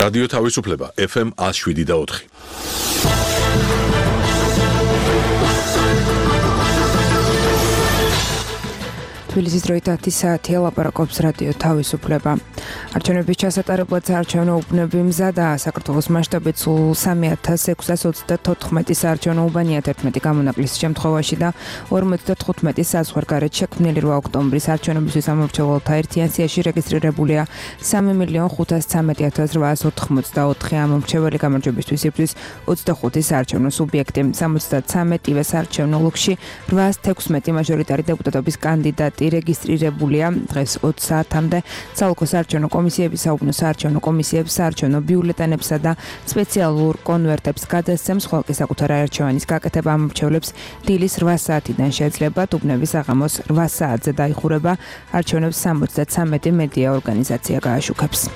რადიო თავისუფლება FM 107.4. თბილისის დროით 10 საათია ლაპარაკობს რადიო თავისუფლება. არჩევნების ჩასატარებლად საარჩევნო უბნები მზადაა. საქართველოს მასშტაბით სულ 3634 საარჩევნო უბანია 11 გამონაკლისის შემთხვევაში და 55 საზღვარგარეთ შექმნილი 8 ოქტომბრის არჩევნებისთვის ამორჩეულთა ერთიან სიაში რეგისტრირებულია 3,513,884 ამორჩეველი გამარჯვებისთვის იბრძვის 25 საარჩევნო სუბიექტი. 73 საარჩევნო ოლქში 816 მაჟორიტარი დეპუტატობის კანდიდატი რეგისტრირებულია დღეს 20 საათამდე საოლქო საარჩევნო კომისიების, საუბნო საარჩევნო კომისიებს, საარჩევნო ბიულეტენებსა და სპეციალურ კონვერტებს გადასცემს, ხოლო კი საკუთარ არჩევანის გაკეთება ამორჩევლებს დილის 8 საათიდან შეეძლებათ, უბნები საღამოს 8 საათზე დაიხურება, არჩევნებს 73 მედია ორგანიზაცია გააშუქებს.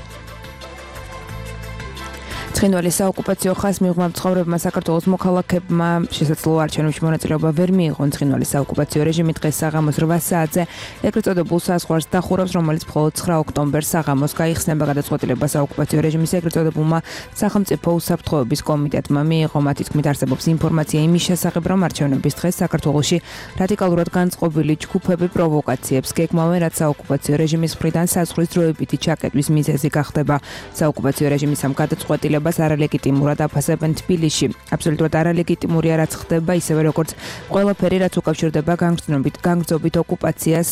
ცხინვალის საოკუპაციო ხაზს მიღმა მცხოვრებმა საქართველოს მოქალაქეებმა შესაძლოა არჩევნებში მონაწილეობა ვერ მიიღონ. ცხინვალის საოკუპაციო რეჟიმი დღეს საღამოს 8 საათზე ეგრეთ წოდებულ საზღვარს დახურავს, რომელიც მხოლოდ 9 ოქტომბერს საღამოს გაიხსნება. გადაწყვეტილება საოკუპაციო რეჟიმის ეგრეთ წოდებულმა სახელმწიფო უსაფრთხოების კომიტეტმა მიიღო. მათი თქმით, არსებობს ინფორმაცია იმის შესახებ, რომ არჩევნების დღეს საქართველოში რადიკალურად განწყობილი ჯგუფები პროვოკაციებს გეგმავენ, რაც საოკუპაციო რეჟიმის მხრიდან საზღვრის დროებითი ჩაკეტვის მიზეზი გახდება. საოკუპაციო რეჟიმის ამ გადაწყვეტილებას არალეგიტიმურად აფასებენ თბილისში. აბსოლუტურად არალეგიტიმურია, რაც ხდება, ისევე როგორც ყველაფერი, რაც უკავშირდება განგრძობით ოკუპაციას,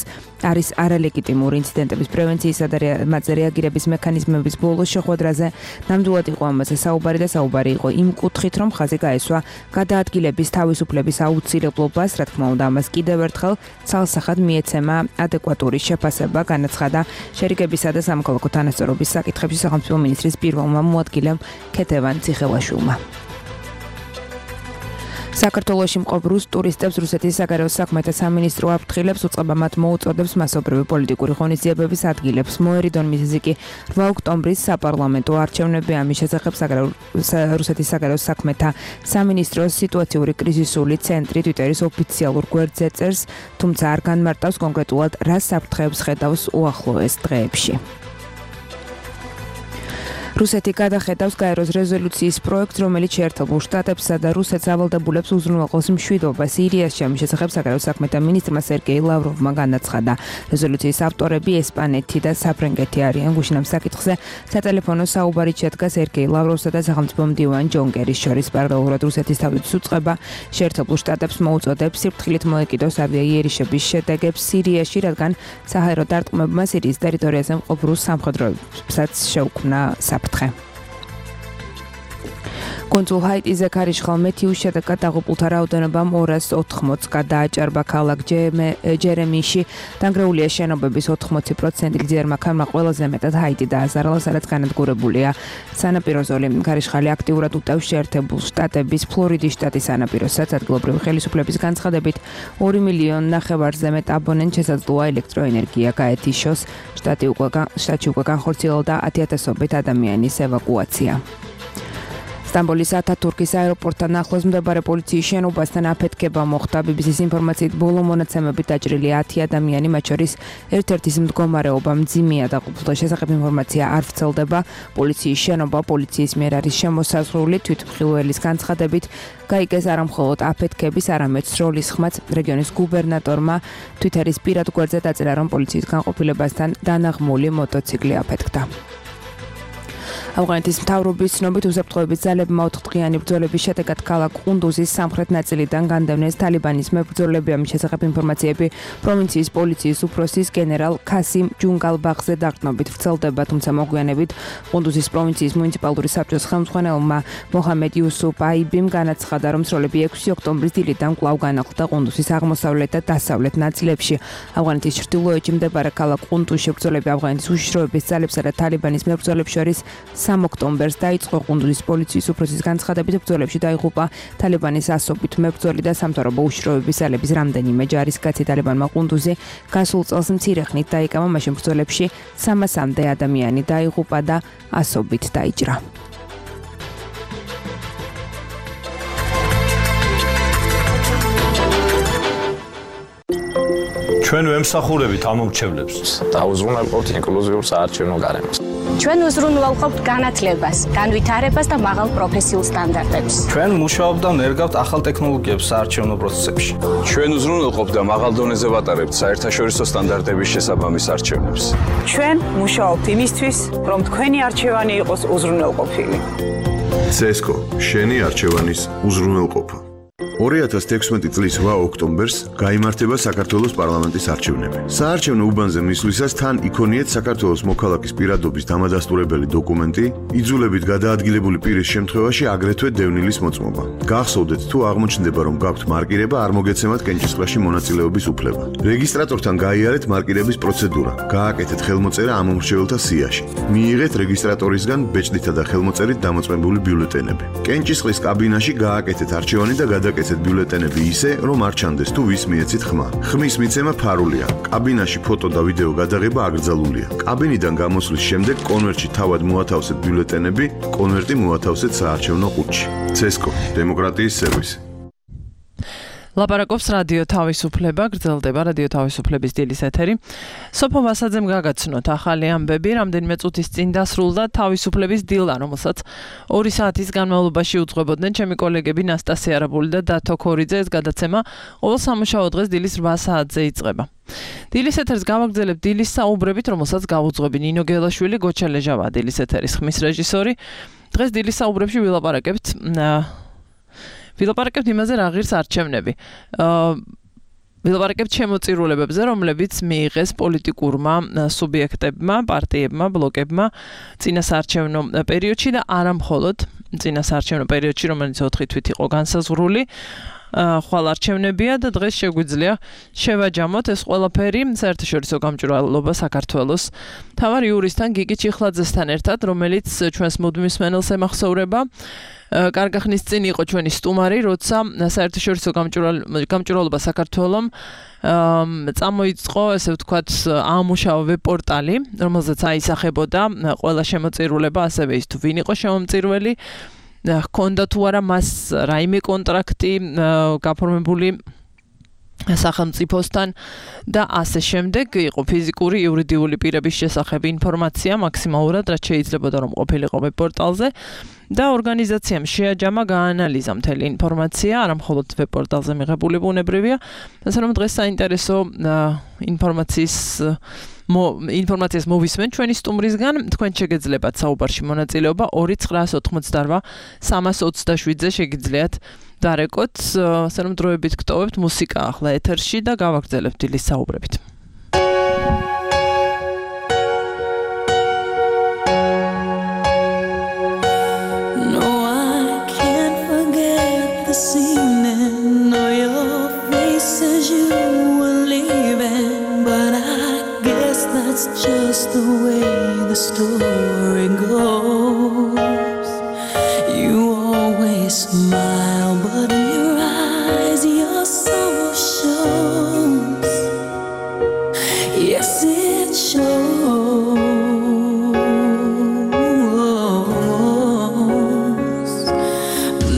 არის არალეგიტიმური. ინციდენტების პრევენციისა და მათზე რეაგირების მექანიზმების ბოლო შეხვედრაზე ნამდვილად იყო ამაზე საუბარი და საუბარი იყო იმ კუთხით, რომ ხაზი გაესვა გადაადგილების თავისუფლების აუცილებლობას, რა თქმა უნდა, ამას კიდევ ერთხელ ცალსახად მიეცემა ადეკვატური შეფასება, განაცხადა შერიგებისა და სამოქალაქო თანასწორობის საკითხებში სახელმწიფო მინისტრის პირველმა მოადგილემ ქეთევან ციხელაშვილმა. საქართველოში მყოფ რუს ტურისტებს რუსეთის საგარეო საქმეთა სამინისტრო აფრთხილებს, უწყება მათ მოუწოდებს მასობრივი პოლიტიკური ღონისძიებების ადგილებს. მოერიდონ მიზეზი კი 8 ოქტომბრის საპარლამენტო არჩევნები. ამის შესახებ რუსეთის საგარეო საქმეთა სამინისტროს სიტუაციური კრიზისული ცენტრი ტვიტერის ოფიციალურ გვერდზე წერს, თუმცა არ განმარტავს კონკრეტულად რა საფრთხეებს ხედავს უახლოეს დღეებში. რუსეთი გადახედავს გაეროს რეზოლუციის პროექტს, რომელიც შეერთებულ შტატებსა და რუსეთს ავალდებულებს უზრუნველყოს მშვიდობა სირიაში. ამის შესახებ საგარეო საქმეთა მინისტრმა სერგეი ლავროვმა განაცხადა. რეზოლუციის ავტორები ესპანეთი და საფრანგეთი არიან. გუშინ ამ საკითხზე სატელეფონო საუბარით შედგა სერგეი ლავროვსა და სახელმწიფო მდივან ჯონ კერის შორის. პარალელურად რუსეთის თავდაცვის უწყება შეერთებულ შტატებს მოუწოდებს სიფრთხილით მოეკიდოს ავიაიერიშების შედეგებს სირიაში, რადგან საჰაერო დარტყმებმა სირიის ტერიტორიაზე მყოფ რუს სამხედროებსაც შეუქმნა საფრთხე. კონსულ ჰაიტიზე ქარიშხალ მეთიუს შედეგად დაღუპულთა რაოდენობამ 280 გადააჭარბა. ქალაქ ჯერემიში დანგრეულია შენობების 80%. გრძიერმა ქარმა ყველაზე მეტად ჰაიტი დააზარალა, სადაც განადგურებულია სანაპირო ზოლი. ქარიშხალი აქტიურად უტევს შეერთებულ შტატების ფლორიდის შტატის სანაპიროსაც. ადგილობრივი ხელისუფლების განცხადებით 2,5 მილიონზე მეტ აბონენტს შესაძლოა ელექტროენერგია გაეთიშოს. შტატში უკვე განხორციელდა 10,000-ობით ადამიანის ევაკუაცია. სტამბოლის ათათურქის აეროპორტთან ახლოს მდებარე პოლიციის შენობასთან აფეთქება მოხდა. BBC-ის ინფორმაციით ბოლო მონაცემებით დაჭრილი 10 ადამიანი, მათ შორის ერთ-ერთის მდგომარეობა მძიმეა. დაღუპულთა შესახებ ინფორმაცია არ ვრცელდება. პოლიციის შენობა პოლიციის მიერ არის შემოსაზღვრული. თვითმხილველის განცხადებით გაიგეს არა მხოლოდ აფეთქების, არამედ სროლის ხმაც. რეგიონის გუბერნატორმა თვიტერის პირად გვერდზე დაწერა, რომ პოლიციის განყოფილებასთან დანაღმული მოტოციკლი აფეთქდა. ავღანეთის მთავრობის ცნობით უსაფრთხოების ძალებმა 4 დღიანი ბრძოლების შედეგად ქალაქ ყუნდუზის სამხრეთ ნაწილიდან განდევნეს თალიბანის მებრძოლები. ამის შესახებ ინფორმაციები პროვინციის პოლიციის უფროსის გენერალ ქასიმ ჯუნგალბახზე დარტყმებით ვრცელდება, თუმცა მოგვიანებით ყუნდუზის პროვინციის მუნიციპალური საბჭოს ხელმძღვანელმა მოჰამედ იუსუფ აიბიმ განაცხადა, რომ სროლები 6 ოქტომბრის დილიდან კვლავ განახლდა ყუნდუზის აღმოსავლეთ და დასავლეთ ნაწილებში. ავღანეთის ჩრდილოეთში მდებარე ქალაქ ყუნდუზში ბრძოლები ავღანეთის უშიშროების ძალებსა და თალიბანის მებრძოლებს შორის 3 ოქტომბერს დაიწყო. ყუნდუზის პოლიციის უფროსის განცხადებით ბრძოლებში დაიღუპა თალიბანის ასობით მებრძოლი და სამთავრობო უშიშროების ძალების რამდენიმე ჯარისკაცი. თალიბანმა ყუნდუზი გასულ წელს მცირე ხნით დაიკავა, მაშინ ბრძოლებში 300-მდე ადამიანი დაიღუპა და ასობით დაიჭრა. ჩვენ ვემსახურებით ამომრჩევლებს. დაუზრუნველყოფთ ინკლუზიურ საარჩევნო გარემოს. ჩვენ უზრუნველყოფთ განათლებას, განვითარებას და მაღალ პროფესიულ სტანდარტებს. ჩვენ მუშაობთ და ნერგავთ ახალ ტექნოლოგიებს საარჩევნო პროცესებში. ჩვენ უზრუნველყოფთ და მაღალ დონეზე ვატარებთ საერთაშორისო სტანდარტების შესაბამის არჩევნებს. ჩვენ მუშაობთ იმისთვის, რომ თქვენი არჩევანი იყოს უზრუნველყოფილი. CESCO შენი არჩევანის უზრუნველყოფა. 2016 წლის 8 ოქტომბერს გაიმართება საქართველოს პარლამენტის არჩევნები. საარჩევნო უბანზე მისვლისას თან იქონიეთ საქართველოს მოქალაქის პირადობის დამადასტურებელი დოკუმენტი, იძულებით გადაადგილებული პირის შემთხვევაში აგრეთვე დევნილის მოწმობა. გახსოვდეთ თუ აღმოჩნდება რომ გაქვთ მარკირება, არ მოგეცემათ კენჭისყრაში მონაწილეობის უფლება. რეგისტრატორთან გაიარეთ მარკირების პროცედურა. გააკეთეთ ხელმოწერა ამ მომრჩეველთა სიაში. მიიღეთ რეგისტრატორისგან ბეჭდითა და ხელმოწერით დამოწმებული ბიულეტენები. კენჭისყრის კაბინაში გააკეთეთ არჩევანი და გადაკეთეთ ბიულეტენები ისე, რომ არ ჩანდეს თუ ვის მიეცით ხმა. ხმის მიცემა ფარულია. კაბინაში ფოტო და ვიდეო გადაღება აკრძალულია. კაბინიდან გამოსვლის შემდეგ კონვერტში თავად მოათავსეთ ბიულეტენები, კონვერტი მოათავსეთ საარჩევნო ყუთში. CESCO დემოკრატიის სერვისი. ლაპარაკობს რადიო თავისუფლება, გრძელდება რადიო თავისუფლების დილის ეთერი. სოფო ვასაძემ გაგაცნოთ ახალი ამბები, რამდენიმე წუთის წინ დასრულდა თავისუფლების დილა, რომელსაც 2 საათის განმავლობაში უძღვებოდნენ ჩემი კოლეგები ნასტასია არაბული და დათო ქორიძე. ეს გადაცემა ყოველ სამუშაო დღეს დილის 8 საათზე იწყება. დილის ეთერს გავაგრძელებთ დილის საუბრებით, რომელსაც გავუძღვები ნინო გელაშვილი, გოჩა ლეჟავა, დილის ეთერის ხმის რეჟისორი. დღეს დილის საუბრებში ვილაპარაკებთ იმაზე, რა ღირს არჩევნები. ვილაპარაკებთ შემოწირულებებზე, რომლებიც მიიღეს პოლიტიკურმა სუბიექტებმა, პარტიებმა, ბლოკებმა წინასაარჩევნო პერიოდში და არა მხოლოდ წინასაარჩევნო პერიოდში, რომელიც 4 თვით იყო განსაზღვრული. ხვალ არჩევნებია და დღეს შეგვიძლია შევაჯამოთ ეს ყველაფერი საერთაშორისო გამჭვირვალობა საქართველოს მთავარ იურისტთან გიგი ჩიხლაძესთან ერთად, რომელიც ჩვენს მუდმივ მსმენელს ემახსოვრება. კარგი ხნის წინ იყო ჩვენი სტუმარი, როცა საერთაშორისო გამჭვირვალობა საქართველოს წამოიწყო, ესე ვთქვათ, აამუშავა ვებ-პორტალი, რომელზეც აისახებოდა ყველა შემოწირულება, ასევე ის თუ ვინ იყო შემომწირველი, ჰქონდა თუ არა მას რაიმე კონტრაქტი გაფორმებული სახელმწიფოსთან და ასე შემდეგ. იყო ფიზიკური, იურიდიული პირების შესახებ ინფორმაცია მაქსიმალურად, რაც შეიძლებოდა რომ ყოფილიყო ვებ-პორტალზე და ორგანიზაციამ შეაჯამა, გაანალიზა მთელი ინფორმაცია, არა მხოლოდ ვებ-პორტალზე მიღებული ბუნებრივია, ასე რომ დღეს საინტერესო ინფორმაციას მოვისმენ ჩვენი სტუმრისგან. თქვენ შეგეძლებათ საუბარში მონაწილეობა 2988 327-ზე შეგიძლიათ დარეკოთ. ასე რომ დროებით გტოვებთ მუსიკა ახლა ეთერში და გავაგრძელებთ დილის საუბრებით. That's just the way the story goes. You always smile, but in your eyes your soul shows. Yes, it shows.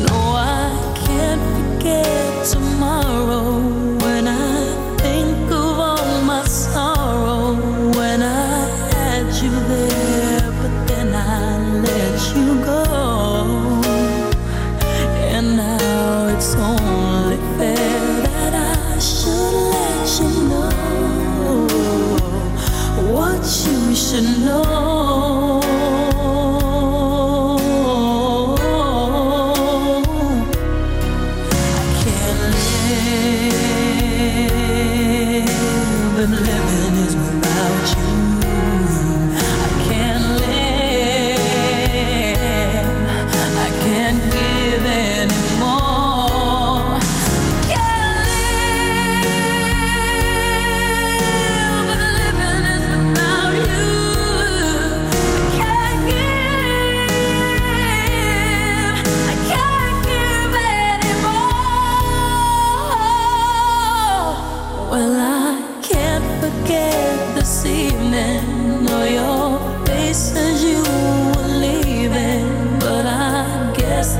No, I can't forget tomorrow when I think of all my sorrow. You there, but then I let you go, and now it's only fair that I should let you know what you should know. I can't live, and living is without you.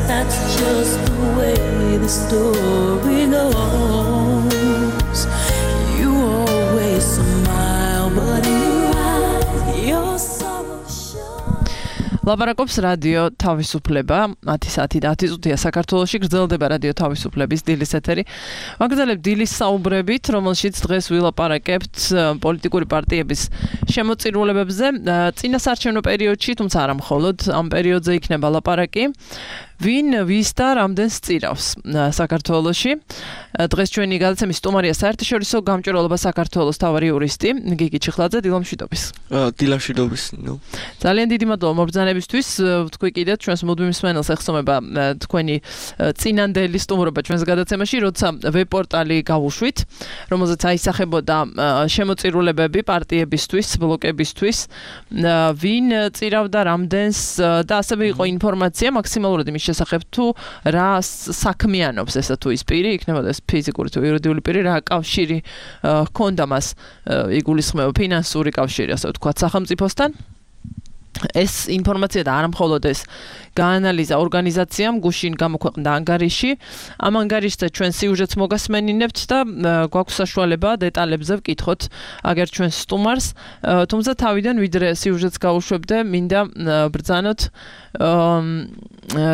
That's just the way the story goes. You always smile, but in your eyes your sorrow shows. ლაპარაკობს რადიო თავისუფლება 10 საათი და 10 წუთია საქართველოში გრძელდება რადიო თავისუფლების დილის ეთერი. ვაგრძელებთ დილის საუბრებით, რომელშიც დღეს ვილაპარაკებთ პოლიტიკური პარტიების შემოწირულობებზე წინასაარჩევნო პერიოდში, თუმცა არა მხოლოდ ამ პერიოდზე იქნება ლაპარაკი. ვინ ვის და რამდენს წირავს საქართველოში. დღეს ჩვენი გადაცემის სტუმარია საერთაშორისო გამჭვირვალობა საქართველოს მთავარი იურისტი გიგი ჩიხლაძე. დილამშვიდობის. დილამშვიდობის. ძალიან დიდი მადლობა მობრძანებისთვის. თქვი კიდევ ჩვენს მუდმივ მსმენელს ეხსომება თქვენი წინანდელი სტუმრობა ჩვენს გადაცემაში, როცა ვებ-პორტალი გავუშვით, რომელზეც აისახებოდა შემოწირულობები პარტიებისთვის, ბლოკებისთვის, ვინ წირავდა რამდენს და ასევე იყო ინფორმაცია მაქსიმალურად იმის შესახებ თუ რა საქმიანობს ესა თუ ის პირი, იქნებოდა ეს ფიზიკური თუ იურიდიული პირი, რა კავშირი ჰქონდა მას, იგულისხმება ფინანსური კავშირი, ასე ვთქვათ, სახელმწიფოსთან. ეს ინფორმაცია და არა მხოლოდ ეს გაანალიზა ორგანიზაციამ, გუშინ გამოქვეყნდა ანგარიში. ამ ანგარიშზე ჩვენ სიუჟეტს მოგასმენინებთ და გვაქვს საშუალება დეტალებზე ვკითხოთ აგერ ჩვენს სტუმარს. თუმცა თავიდან ვიდრე სიუჟეტს გავუშვებდე, მინდა ბრძანოთ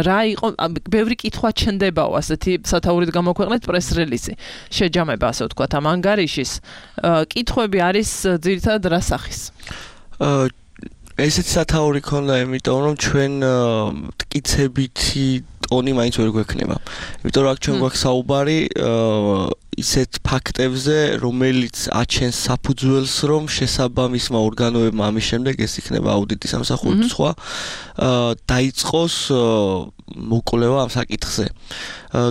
რა იყო, ბევრი კითხვა ჩნდებაო, ასეთი სათაურით გამოქვეყნეთ პრეს-რელიზი. შეჯამება, ასე ვთქვათ, ამ ანგარიშის. კითხვები არის ძირითადად რა სახის? ესეც სათაური ქონდა, იმიტომ რომ ჩვენ მტკიცებითი ტონი მაინც ვერ გვექნება. იმიტომ რომ აქ ჩვენ გვაქვს საუბარი ისეთ ფაქტებზე, რომელიც აჩენს საფუძველს, რომ შესაბამისმა ორგანოებმა ამის შემდეგ ეს იქნება აუდიტის სამსახური თუ სხვა, დაიწყოს მოკვლევა ამ საკითხზე.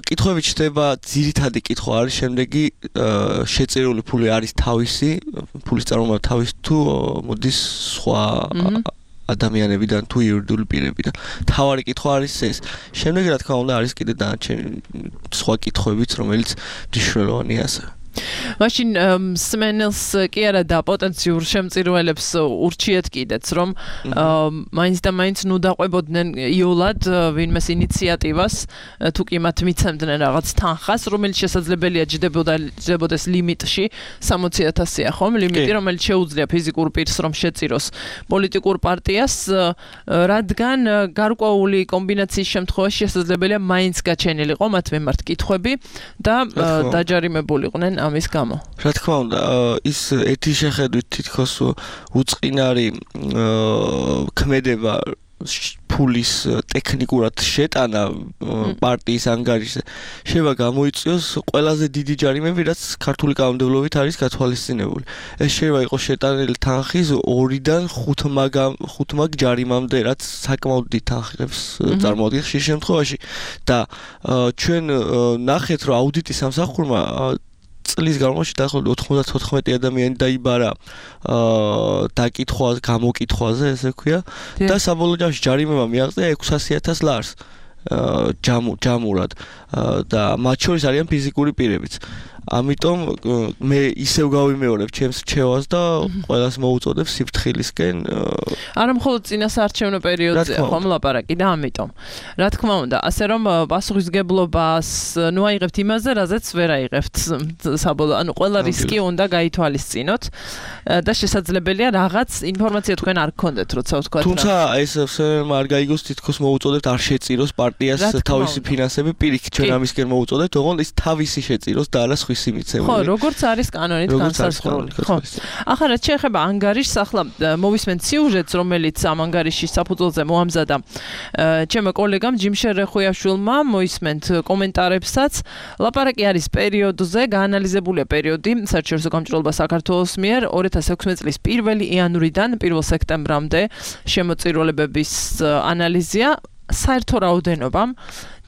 კითხვები ჩდება, ძირითადი კითხვა არის შემდეგი, შეწირული ფული არის თავისი, ფულის წარმოება თავისი თუ მოდის სხვა ადამიანებიდან თუ იურიდიული პირებიდან. თავარი კითხვა არის ეს. შემდეგ რა თქმა უნდა არის კიდე დანარჩენი სხვა კითხვებიც, რომელიც მნიშვნელოვანია ასე. მაშინ სმენელს კი არა და პოტენციურ შემწირველებს ურჩიეთ კიდეც, რომ მაინც და მაინც ნუ დაყვებოდნენ იოლად ვინმეს ინიციატივას, თუ კი მათ მიცემდნენ რაღაც თანხას, რომელიც შესაძლებელია ჯდებოდეს ლიმიტში 60,000-ია, ხომ? ლიმიტი, რომელიც შეუძლია ფიზიკურ პირს რომ შეწიროს პოლიტიკურ პარტიას, რადგან გარკვეული კომბინაციის შემთხვევაში შესაძლებელია მაინც გაჩენილიყო მათ მიმართ კითხვები და დაჯარიმებულიყვნენ ამის გამო. რა თქმა უნდა, ის ერთი შეხედვით თითქოს უწყინარი ქმედება ფულის ტექნიკურად შეტანა პარტიის ანგარიშზე შევა გამოიწვიოს ყველაზე დიდი ჯარიმები, რაც ქართული კანონმდებლობით არის გათვალისწინებული. ეს შევა იყოს შეტანილი თანხის 2-დან 5 მაგ ჯარიმამდე, რაც საკმაოდ დიდ თანხებს წარმოადგენს ხშირ შემთხვევაში და ჩვენ ნახეთ, რომ აუდიტის სამსახურმა წლის განმავლობაში დაახლოებით 94 ადამიანი დაიბარა დაკითხვაზე, გამოკითხვაზე, ესე ვქვია, და საბოლოო ჯამში ჯარიმება მიაღწია 600,000 ლარს ჯამურად და მათ შორის არიან ფიზიკური პირებიც. ამიტომ მე ისევ გავიმეორებ ჩემს რჩევას და ყველას მოუწოდებ სიფრთხილისკენ. არა მხოლოდ წინასაარჩევნო პერიოდზე ხომ ლაპარაკი და ამიტომ. რა თქმა უნდა, ასე რომ პასუხისგებლობას ნუ აიღებთ იმაზე, რაზეც ვერ აიღებთ საბოლოო, ანუ ყველა რისკი უნდა გაითვალისწინოთ და შესაძლებელია რაღაც ინფორმაცია თქვენ არ გქონდეთ, როცა ვთქვათ. თუმცა ეს არ გაიგოს, თითქოს მოუწოდეთ არ შეწიროს პარტიას თავისი ფინანსები პირიქით, ჩვენ ამისკენ მოუწოდეთ, ოღონდ ის თავისი შეწიროს და არა ხო, როგორც არის კანონით განსაზღვრული. ხო. ახლა რაც შეეხება ანგარიშს, ახლა მოვისმენთ სიუჟეტს, რომელიც ამ ანგარიშის საფუძველზე მოამზადა ჩემო კოლეგამ ჯიმშერ რეხუიაშვილმა, მოისმენთ კომენტარებსაც. ლაპარაკი არის პერიოდზე, გაანალიზებულია პერიოდი საერთაშორისო გამჭვირვალობა საქართველოს მიერ 2016 წლის 1 იანვრიდან 1 სექტემბრამდე შემოწირულობების ანალიზია. საერთო რაოდენობამ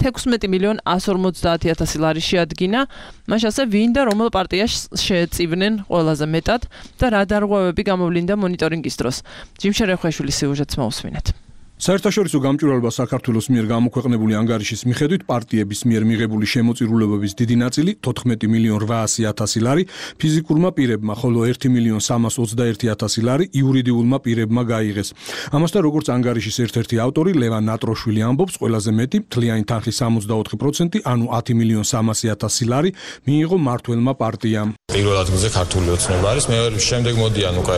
16,150,000 ლარი შეადგინა. მაშინ ასე ვინ და რომელ პარტიას შეეწივნენ ყველაზე მეტად და რა დარღვევები გამოვლინდა მონიტორინგის დროს. ჯიმშერ რეხუიაშვილის სიუჟეტს მოусმინეთ. საერთაშორისო გამჭვირვალობა საქართველოს მიერ გამოქვეყნებული ანგარიშის მიხედვით პარტიების მიერ მიღებული შემოწირულობების დიდი ნაწილი 14,800,000 ლარი ფიზიკურმა პირებმა, ხოლო 1,321,000 ლარი იურიდიულმა პირებმა გაიღეს. ამასთან, როგორც ანგარიშის ერთ-ერთი ავტორი ლევან ნატროშვილი ამბობს, ყველაზე მეტი მთლიანი თანხის 64%, ანუ 10,300,000 ლარი მიიღო მმართველმა პარტიამ. პირველ ადგილზე ქართული ოცნება არის, მე შემდეგ მოდიან უკვე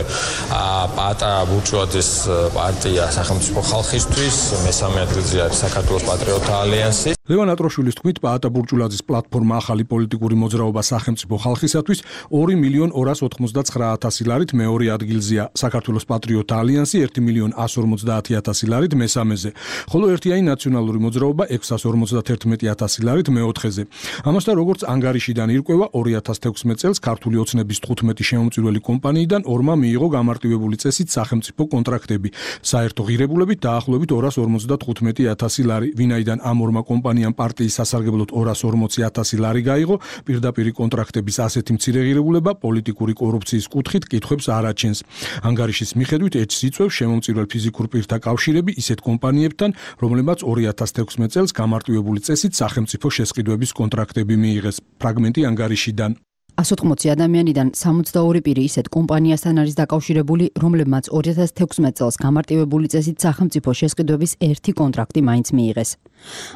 პატარა ბურჟუაზიის პარტია, სახელმწიფო ხალხი ხალხისთვის, მესამე ადგილზე არის საქართველოს პატრიოტთა ალიანსი. ლევან ატროშვილის თქმით, პაატა ბურჯულაძის პლატფორმა ახალი პოლიტიკური მოძრაობა სახელმწიფო ხალხისათვის 2.099,000 ლარით მეორე ადგილზეა. საქართველოს პატრიოტთა ალიანსი 1.150,000 ლარით მესამეზე, ხოლო ერთიანი ნაციონალური მოძრაობა 651,000 ლარით მეოთხეზე. ამასთან, როგორც ანგარიშიდან ირკვევა, 2016 წელს ქართული ოცნების 15 შემომწირველი კომპანიიდან ორმა მიიღო გამარტივებული წესით სახელმწიფო კონტრაქტები. საერთო ღირებულებით დაახლოებით 255,000 ლარი, ვინაიდან ამ ორმა კომპანიამ პარტიის სასარგებლოდ 240,000 ლარი გაიღო, პირდაპირი კონტრაქტების ასეთი მცირე ღირებულება პოლიტიკური კორუფციის კუთხით კითხვებს არ აჩენს. ანგარიშის მიხედვით ეჭს იწვევს შემომწირველ ფიზიკურ პირთა კავშირები ისეთ კომპანიებთან, რომლებმაც 2016 წელს გამარტივებული წესით სახელმწიფო შესყიდვების კონტრაქტები მიიღეს. ფრაგმენტი ანგარიშიდან. 180 ადამიანიდან 62 პირი ისეთ კომპანიასთან არის დაკავშირებული, რომლებმაც 2016 წელს გამარტივებული წესით სახელმწიფო შესყიდვების ერთი კონტრაქტი მაინც მიიღეს.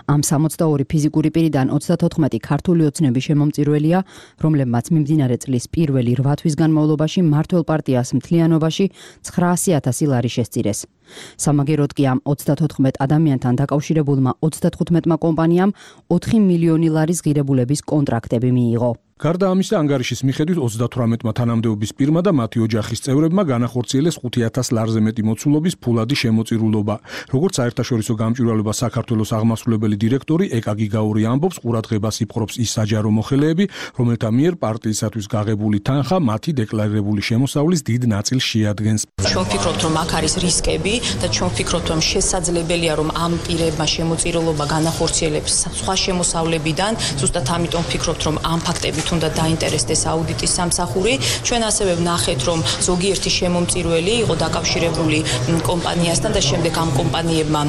ამ 62 ფიზიკური პირიდან 34 ქართული ოცნების შემომწირველია, რომლებმაც მიმდინარე წლის პირველი 8 თვის განმავლობაში მმართველ პარტიას მთლიანობაში 900,000 ლარი შესწირეს. სამაგეროდ კი ამ 34 ადამიანთან დაკავშირებულმა 35 კომპანიამ 4 მილიონი ლარის ღირებულების კონტრაქტები მიიღო. გარდა ამისა, ანგარიშის მიხედვით 38 თანამდებობის პირმა და მათი ოჯახის წევრებმა განახორციელეს 5,000 ლარზე მეტი მოცულობის ფულადი შემოწირულობა. როგორც საერთაშორისო გამჭვირვალობა საქართველოს აღმასრულებელი დირექტორი ეკა გიგაური ამბობს, ყურადღებას იპყრობს ის საჯარო მოხელეები, რომელთა მიერ პარტიისათვის გაღებული თანხა მათი დეკლარირებული შემოსავლის დიდ ნაწილს შეადგენს. ჩვენ ვფიქრობთ, რომ აქ არის რისკები და ჩვენ ვფიქრობთ, რომ შესაძლებელია, რომ ამ პირებმა შემოწირულობა განახორციელებს სხვა შემოსავლებიდან, ზუსტად ამიტომ ვფიქრობთ, რომ ამ ფაქტებით უნდა დაინტერესდეს აუდიტის სამსახური. ჩვენ ასევე ვნახეთ, რომ ზოგიერთი შემომწირველი იყო დაკავშირებული კომპანიასთან და შემდეგ ამ კომპანიებმა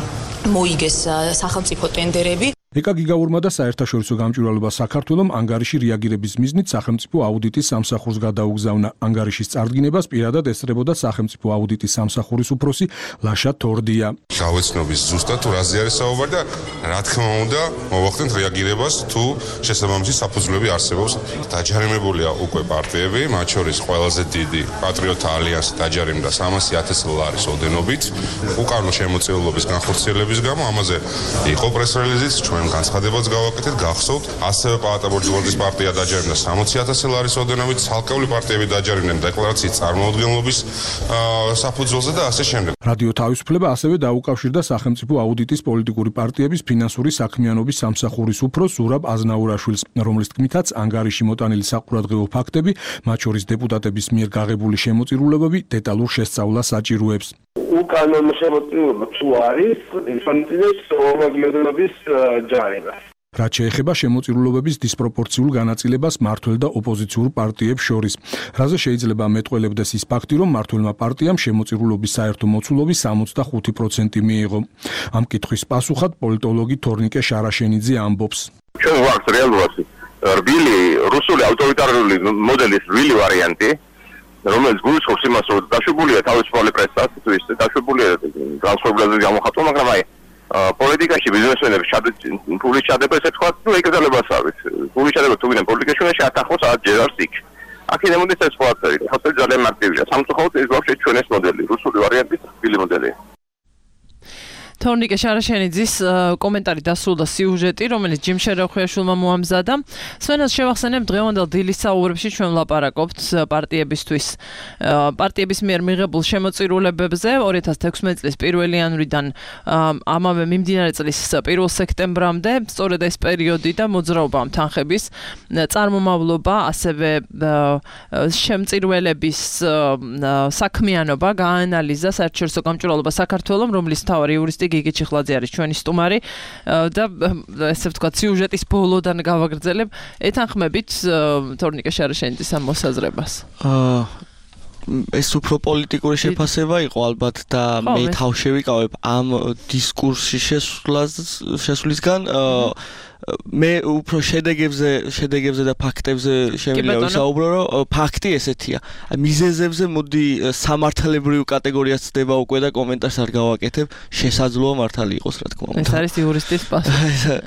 მოიგეს სახელმწიფო ტენდერები. ეკა გიგაურმა და საერთაშორისო გამჭვირვალობა საქართველომ ანგარიში რეაგირების მიზნით სახელმწიფო აუდიტის სამსახურს გადაუგზავნა. ანგარიშის წარდგინებას პირადად ესწრებოდა სახელმწიფო აუდიტის სამსახურის უფროსი ლაშა თორდია. გავეცნობის ზუსტად თუ რაზე არის საუბარი და რა თქმა უნდა მოვახდენთ რეაგირებას თუ შესაბამისი საფუძვლები არსებობს. დაჯარიმებულია უკვე პარტიები, მათ შორის ყველაზე დიდი პატრიოტთა ალიანსი დაჯარიმდა 300,000 ლარის ოდენობით. უკანონო შემოწირულობის განხორციელების გამო ამაზე იყო პრეს-რელიზიც, ჩვენ განცხადებაც გავაკეთეთ, გახსოვთ, ასევე პაატა ბურჯულაძის პარტია დაჯარიმდა 60,000 ლარის ოდენობით, ცალკეული პარტიები დაჯარიმდნენ დეკლარაციის წარმოუდგენლობის საფუძველზე და ასე შემდეგ. რადიო თავისუფლება ასევე დაუკავშირდა სახელმწიფო აუდიტის პოლიტიკური პარტიების ფინანსური საქმიანობის სამსახურის უფროს ზურაბ აზნაურაშვილს, რომლის თქმითაც ანგარიში მოტანილი საყურადღებო ფაქტები, მათ შორის დეპუტატების მიერ გაღებული შემოწირულობები დეტალურ შესწავლას საჭიროებს. უკანონო შემოწირულობა თუ არის, ისწავლეს ორმაგიოდენობის ჯარიმა. რაც შეეხება შემოწირულობების დისპროპორციულ განაწილებას მმართველ და ოპოზიციურ პარტიებს შორის, რაზე შეიძლება მეტყველებდეს ის ფაქტი, რომ მმართველმა პარტიამ შემოწირულობის საერთო მოცულობის 65% მიიღო. ამ კითხვის პასუხად პოლიტოლოგი თორნიკე შარაშენიძე ამბობს. ჩვენ ვართ რეალურად რბილი რუსული ავტორიტარული მოდელის რბილი ვარიანტი, რომელიც გულისხმობს იმას, რომ დაშვებულია თავისუფალი პრესა, დაშვებულია ტრანსფორმაციის გამოხატვა, მაგრამ აი პოლიტიკაში ბიზნესმენები ფულის ჩადება, ესე თქვა, ნუ ეკრძალებას არის. ფულის ჩადება თუ ვინმე პოლიტიკაში უნდა შეათანხმოს ჯერ არც იქ. აქედან მოდის ეს ყველაფერი. ხალხი ძალიან მარტივია. სამწუხაროდ ეს ბავშვი ჩვენ ეს მოდელი, რუსული ვარიანტის რბილი მოდელია. თორნიკე შარაშენიძის კომენტარი დასრულდა სიუჟეტი, რომელიც ჯიმ შერეხვიაშვილმა მოამზადა. სვენას შევახსენებ, დღევანდელ დილის საუბრებში ჩვენ ვლაპარაკობთ პარტიების მიერ მიღებულ შემოწირულებებზე 2016 წლის 1 იანვრიდან ამავე მიმდინარე წლის 1 სექტემბრამდე, სწორედ ეს პერიოდი და მოძრაობამ თანხების წარმომავლობა, ასევე შემწირველების საქმიანობა გაანალიზა საერთაშორისო გამჭვირვალობა საქართველოს, რომლის მთავარი იურისტი გიგი ჩიხლაძე არის ჩვენი სტუმარი და ესე ვთქვათ სიუჟეტის ბოლოდან გავაგრძელებ ეთანხმებით თორნიკე შარაშენიძის ამ მოსაზრებას. ეს უფრო პოლიტიკური შეფასება იყო ალბათ და მე თავშევიკავებ ამ დისკურსში შესვლისგან მე უფრო შედეგებზე და ფაქტებზე შემიძლია ვისაუბრო, რომ ფაქტი ესეთია. მიზეზებზე მოდი სამართლებრივ კატეგორიას ცდება უკვე და კომენტარს არ გავაკეთებ, შესაძლოა მართალი იყოს, რა თქმა უნდა. ეს არის იურისტის პასუხი.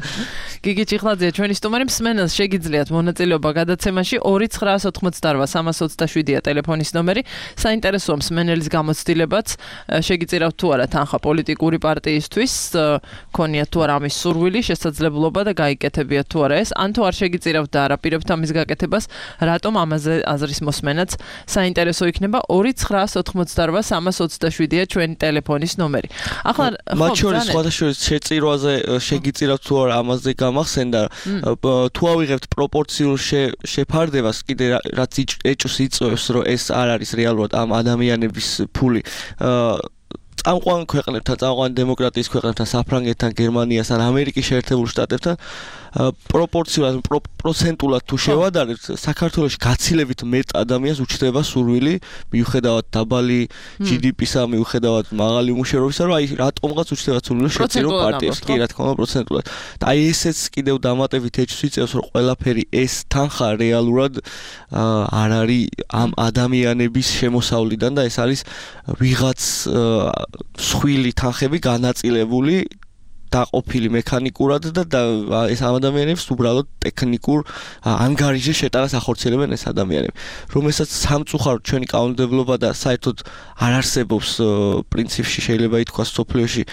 გიგი ჭიხლაძე, ჩვენი სტუმარი, მსმენელს შეგიძლიათ მონაწილეობა გადაცემაში 2988327-ია ტელეფონის ნომერი. საინტერესოა მსმენელის გამოცდილებაც, შეგიწირავთ თუ არა თანხა პოლიტიკური პარტიისთვის, ქონიათ თუ არა ამის სურვილი, შესაძლებლობა და გაიკეთებიათ თუ არა ეს, ან თუ არ შეგიწირავთ და არაპირებთ ამის გაკეთებას, რატომ ამაზე აზრის მოსმენაც საინტერესო იქნება. 2988327-ია ჩვენი ტელეფონის ნომერი. ახლა მათ შორის სხვადასხვა შეწირვაზე შეგიწირავთ თუ არა ამაზე გამახსენდა, თუ ავიღებთ პროპორციულ შეფარდებას, კიდე რაც ეჭვს იწვევს, რომ ეს არ არის რეალურად ამ ადამიანების ფული. წამყვან ქვეყნებთან, წამყვან დემოკრატიის ქვეყნებთან, საფრანგეთთან, გერმანიასთან, ამერიკის შეერთებულ შტატებთან პროპორციულად, პროცენტულად თუ შევადარებთ, საქართველოში გაცილებით მეტ ადამიანს უჩნდება სურვილი, მიუხედავად დაბალი GDP-სა, მიუხედავად მაღალი უმუშევრობისა, რომ აი რატომღაც უჩნდება სურვილი შეწირო პარტიებს, კი რა თქმა უნდა, პროცენტულად. და აი ესეც კიდევ დამატებით ეჭვს იწევს, რომ ყველაფერი ეს თანხა რეალურად არ არის ამ ადამიანების შემოსავლიდან და ეს არის ვიღაც სხვილი თანხები განაწილებული დაყოფილი მექანიკურად და ეს ადამიანებს უბრალოდ ტექნიკურ ანგარიშზე შეტანას ახორციელებენ ეს ადამიანები, რომელსაც სამწუხაროდ ჩვენი კანონმდებლობა და საერთოდ არ არსებობს პრინციპში შეიძლება ითქვას სოფლიოში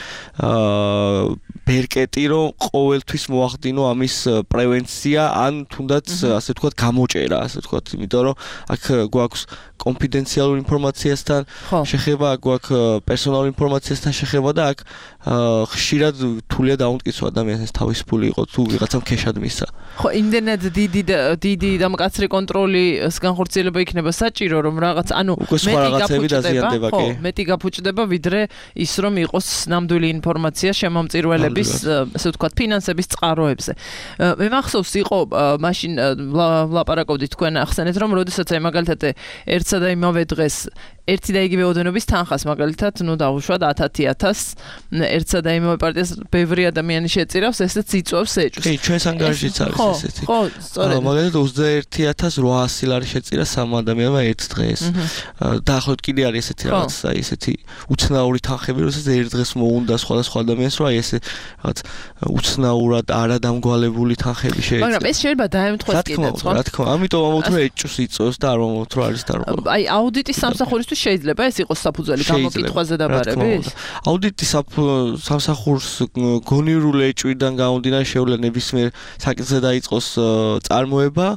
ბერკეტი, რომ ყოველთვის მოახდინო ამის პრევენცია ან თუნდაც ასე ვთქვათ გამოჭერა, ასე ვთქვათ, იმიტომ რომ აქ გვაქვს კონფიდენციალურ ინფორმაციასთან შეხება, გვაქვს პერსონალურ ინფორმაციასთან შეხება და აქ ხშირად თულია დაუნტკიცო ადამიანს ეს თავის ფული იყო თუ ვიღაცამ ქეშად მისცა. ხო, იმდენად დიდი და მკაცრი კონტროლის განხორციელება იქნება საჭირო, რომ რაღაც, ანუ მეტი გაფუჭდება, ვიდრე ის რომ იყოს ნამდვილი ინფორმაცია შემომწირველების, ასე ვთქვათ, ფინანსების წყაროებზე. მე მახსოვს იყო მაშინ ვლაპარაკობდით თქვენ ახსენეთ, რომ როდესაც აი მაგალითად ერთსა და იმავე დღეს ერთი და იგივე ოდენობის თანხას მაგალითად, ნუ დავუშვათ 10,000 ერთსა და იმავე პარტიას ბევრი ადამიანი შეწირავს, ესეც იწვევს ეჭვს. კი, ჩვენს ანგარიშიც არის ესეთი. ხო, სწორედ. მაგალითად 21,800 ლარი შეწირა სამ ადამიანმა ერთ დღეს. დაახლოებით კიდე არის ესეთი რაღაც, აი ესეთი უცნაური თანხები, როდესაც ერთ დღეს მოუნდა სხვადასხვა ადამიანს, რომ აი ესე რაღაც უცნაურად არადამგვალებული თანხები შეეწირა. მაგრამ ეს შეიძლება დაემთხვეს კიდეც, ხო? რა თქმა უნდა, ამიტომ ამოთ რომ ეჭვს იწვევს და არ ამოთ რომ არის დარღვევა. აი აუდიტის სამსახურისთვის შეიძლება ეს იყოს საფუძველი გამოკითხვაზე დაბარების? აუდიტის სამსახურს გონივრული ეჭვიდან გამომდინარე შეუძლია ნებისმიერ საკითხზე დაიწყოს წარმოება,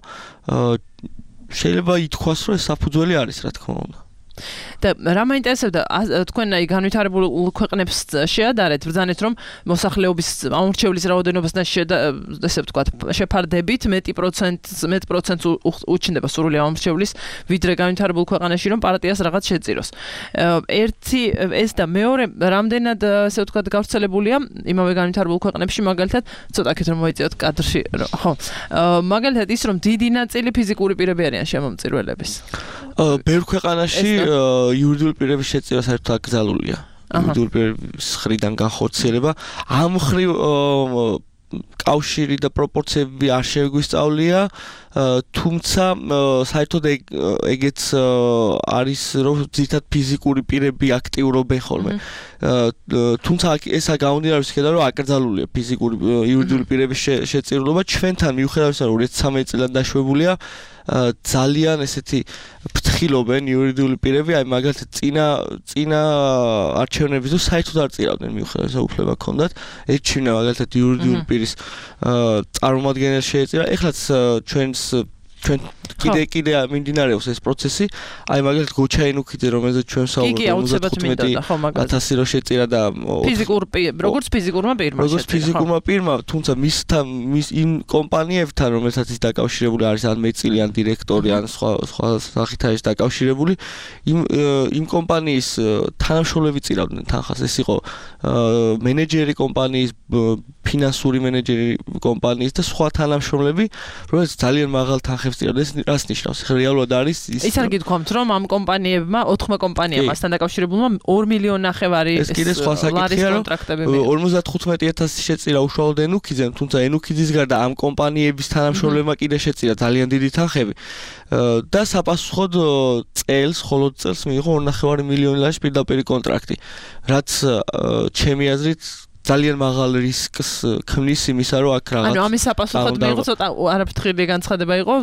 შეიძლება ითქვას, რომ ეს საფუძველი არის, რა თქმა უნდა. და რა მაინტერესებდა, თქვენ აი განვითარებულ ქვეყნებს შეადარეთ, ბრძანეთ რომ მოსახლეობის ამორჩევლის რაოდენობასთან ესე ვთქვათ, შეფარდებით მეტ პროცენტს უჩნდება სრული ამორჩევლის, ვიდრე განვითარებულ ქვეყანაში რომ პარტიას რაღაც შეწიროს. ერთი ეს და მეორე რამდენად ესე ვთქვათ გავრცელებულია იმავე განვითარებულ ქვეყნებში, მაგალითად, ცოტა აქეთ რომ მოიწიოთ კადრში, ხო. მაგალითად ის რომ დიდი ნაწილი ფიზიკური პირები არიან შემომწირველების. ბევრ ქვეყანაში იურიდიული პირების შეწირვა საერთოდ აკრძალულია. იურიდიული პირების მხრიდან განხორციელება. ამ მხრივ კავშირი და პროპორციები არ შეგვისწავლია, თუმცა საერთოდ ეგეც არის რომ ძირითადად ფიზიკური პირები აქტიურობენ ხოლმე. თუმცა ესა გამომდინარე იქიდან რომ აკრძალულია ფიზიკური იურიდიული პირების შეწირულობა ჩვენთან მიუხედავად იმისა რომ 2013 წლიდან დაშვებულია ძალიან ესეთი ფრთხილობენ იურიდიული პირები, აი მაგალითად წინა არჩევნების დროს საერთოდ არ წირავდნენ მიუხედავად იმისა უფლება ჰქონდათ, ეჩვენა მაგალითად იურიდიული პირის წარმომადგენელს შეეწირა. ეხლაც ჩვენს ჩვენ კიდე მიმდინარეობს ეს პროცესი. აი მაგალითად გოჩაინუქიძე, რომელზეც ჩვენ საუბრობთ 15,000 რო შეწირა და როგორც ფიზიკურმა პირმა, თუმცა მის იმ კომპანიებთან, რომელსაც ის დაკავშირებული არის, ან მეწილი, ან დირექტორი, ან სხვა სახით არის დაკავშირებული, იმ კომპანიის თანამშრომლები წირავდნენ თანხას. ეს იყო მენეჯერი კომპანიის, ფინანსური მენეჯერი კომპანიის და სხვა თანამშრომლები, რომელსაც ძალიან მაღალ თანხებს წირავდნენ. რას ნიშნავს? რეალურად არის ის არ გითქვამთ რომ ამ კომპანიებმა 4 კომპანიამ მასთან დაკავშირებულმა 2 მილიონი ნახევარი ლარის კონტრაქტები 55,000 შეწირა უშუალოდ ენუქიძემ, თუმცა ენუქიძის გარდა ამ კომპანიების თანამშრომლებმა კიდე შეწირა ძალიან დიდი თანხები და საპასუხოდ მხოლოდ წელს მიიღო 2,5 მილიონი ლარის პირდაპირი კონტრაქტი, რაც ჩემი აზრით ძალიან მაღალ რისკს ქმნის იმისა, რომ აქ რაღაც ამის საპასუხოდ მიიღო ცოტა არაფრთხილი განცხადება იყო,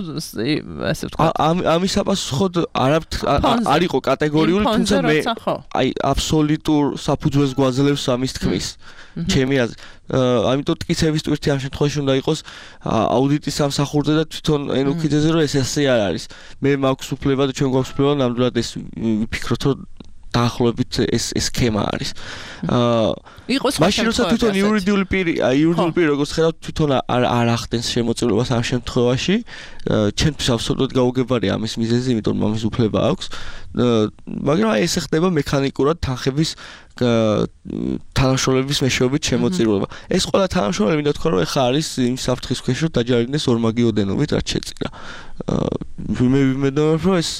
ასე ვთქვა. ამის საპასუხოდ არ იყო კატეგორიული, თუმცა მე აბსოლუტურ საფუძველს გვაძლევს ამის თქმის. ჩემი აზრით. ამიტომ ტკიცების ტვირთი ამ შემთხვევაში უნდა იყოს აუდიტის სამსახურზე და თვითონ ენუქიძეზე, რომ ეს ასე არ არის. მე მაქვს უფლება და ჩვენ გვაქვს უფლება ნამდვილად ეს ვიფიქროთ, რომ დაახლოებით ეს სქემა არის. მაშინ როცა თვითონ იურიდიული პირი როგორც ხედავთ, თვითონ არ ახდენს შემოწირულობას ამ შემთხვევაში, ჩემთვის აბსოლუტურად გაუგებარია ამის მიზეზი, იმიტომ რომ ამის უფლება აქვს. მაგრამ ეს ხდება მექანიკურად თანხების თანამშრომლების მეშვეობით შემოწირულობა. ეს ყველა თანამშრომლები მინდა თქვა, რომ ეხა არის იმ საფრთხის ქვეშ, რომ დაჯარიმდეს ორმაგი ოდენობით, რაც შეწირა. მე ვიმედოვნებ, რომ ეს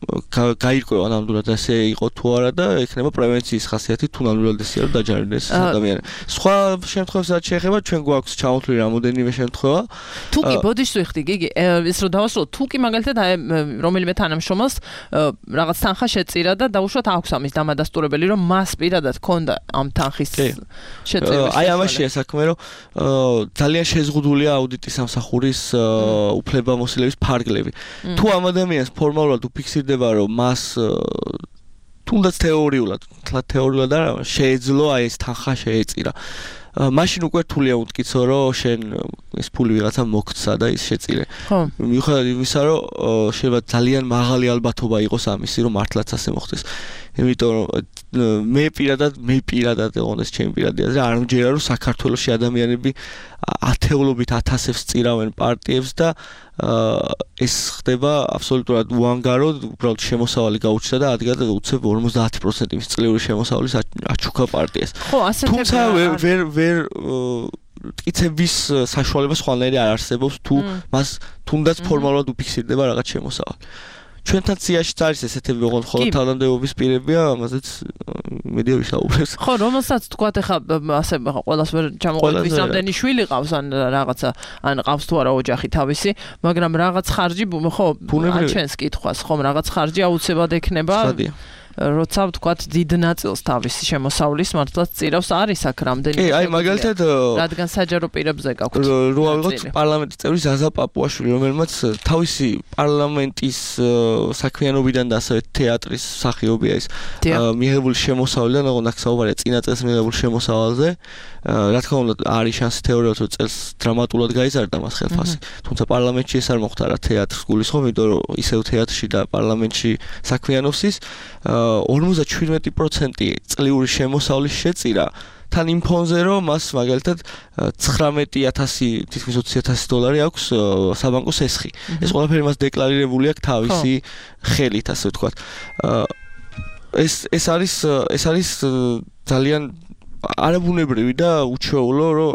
გაირკვევა ნამდვილად ასე იყო თუ არა და ექნება პრევენციის ხასიათი თუ ნამდვილად ესეა რომ დაჯარიმდეს ადამიანი. სხვა შემთხვევაში რაც შეეხება ჩვენ გვაქვს ჩამოთვლილი რამოდენიმე შემთხვევა. თუ კი ბოდიშს ვიხდი გიგი, ის რომ დავასრულო, თუ კი მაგალითად რომელიმე თანამშრომელს რაღაც თანხა შეწირა და დაუშვათ აქვს ამის დამადასტურებელი, რომ მას პირადად ჰქონდა ამ თანხის შეწირვა. აი ამაშია საქმე, რომ ძალიან შეზღუდულია აუდიტის სამსახურის უფლებამოსილების ფარგლები. თუ ამ ადამიანს ფორმალურად უფიქსირდება რომ მას თუნდაც თეორიულად არა შეეძლო აი ეს თანხა შეეწირა. მაშინ უკვე რთულია უთკიცო რომ შენ ეს ფული ვიღაცა მოგცა და ის შეწირე. მიუხედავად იმისა რომ შეიძლება ძალიან მაღალი ალბათობა იყოს ამისი რომ მართლაც ასე მოხდეს. იმიტომ რომ მე პირადად ეღონეს ჩემი პირადი აზრი არ მჯერა რომ საქართველოში ადამიანები ათეულობით ათასებს წირავენ პარტიებს და ეს ხდება აბსოლუტურად უანგაროდ, უბრალოდ შემოსავალი გაუჩნდა და ადგა და უცებ 50% იმის წლიური შემოსავლის აჩუქა პარტიას. თუმცა ვერ ტკიცების საშუალება სხვანაირი არ არსებობს თუ მას თუნდაც ფორმალურად უფიქსირდება რაღაც შემოსავალი. ჩვენთან ციაში არის ესეთები, ოღონდ ხოლმე თანამდებობის პირებია, ამაზეც მედია ვისაუბრებს. ხო, რომელსაც თქვათ ახლა ასე ყველას ვერ ჩამოყვებით, ვის რამდენი შვილი ყავს ან რაღაცა, ან ყავს თუ არა ოჯახი თავისი, მაგრამ რაღაც ხარჯი, ხო, ან ჩვენს კითხვას, ხომ რაღაც ხარჯი აუცილებლად ექნება. როცა ვთქვათ დიდ ნაწილს თავისი შემოსავლის მართლაც წირავს არის აქ რამდენი კი აი მაგალითად რადგან საჯარო პირებზე გაქვთ რო ავიღოთ პარლამენტის წევრი ზაზა პაპუაშვილი რომელმაც თავისი პარლამენტის საქმიანობიდან და ასევე თეატრის მსახიობია ის მიღებული შემოსავლიდან ოღონდ აქ საუბარია წინა წელს მიღებულ შემოსავალზე რა თქმა უნდა არის შანსი თეორიულად რომ წელს დრამატულად გაიზარდა მას ხელფასი თუმცა პარლამენტში ეს არ მოხდა რა თეატრს გულისხმობ იმიტომ რომ ისევ თეატრში და პარლამენტში საქმიანობს ის 57% წლიური შემოსავლის შეწირა თან იმ ფონზე რომ მას მაგალითად 19,000 თითქმის 20,000 დოლარი აქვს საბანკო სესხი. ეს ყველაფერი მას დეკლარირებული აქვს თავისი ხელით, ასე ვთქვათ. ეს არის ძალიან არაბუნებრივი და უჩვეულო რომ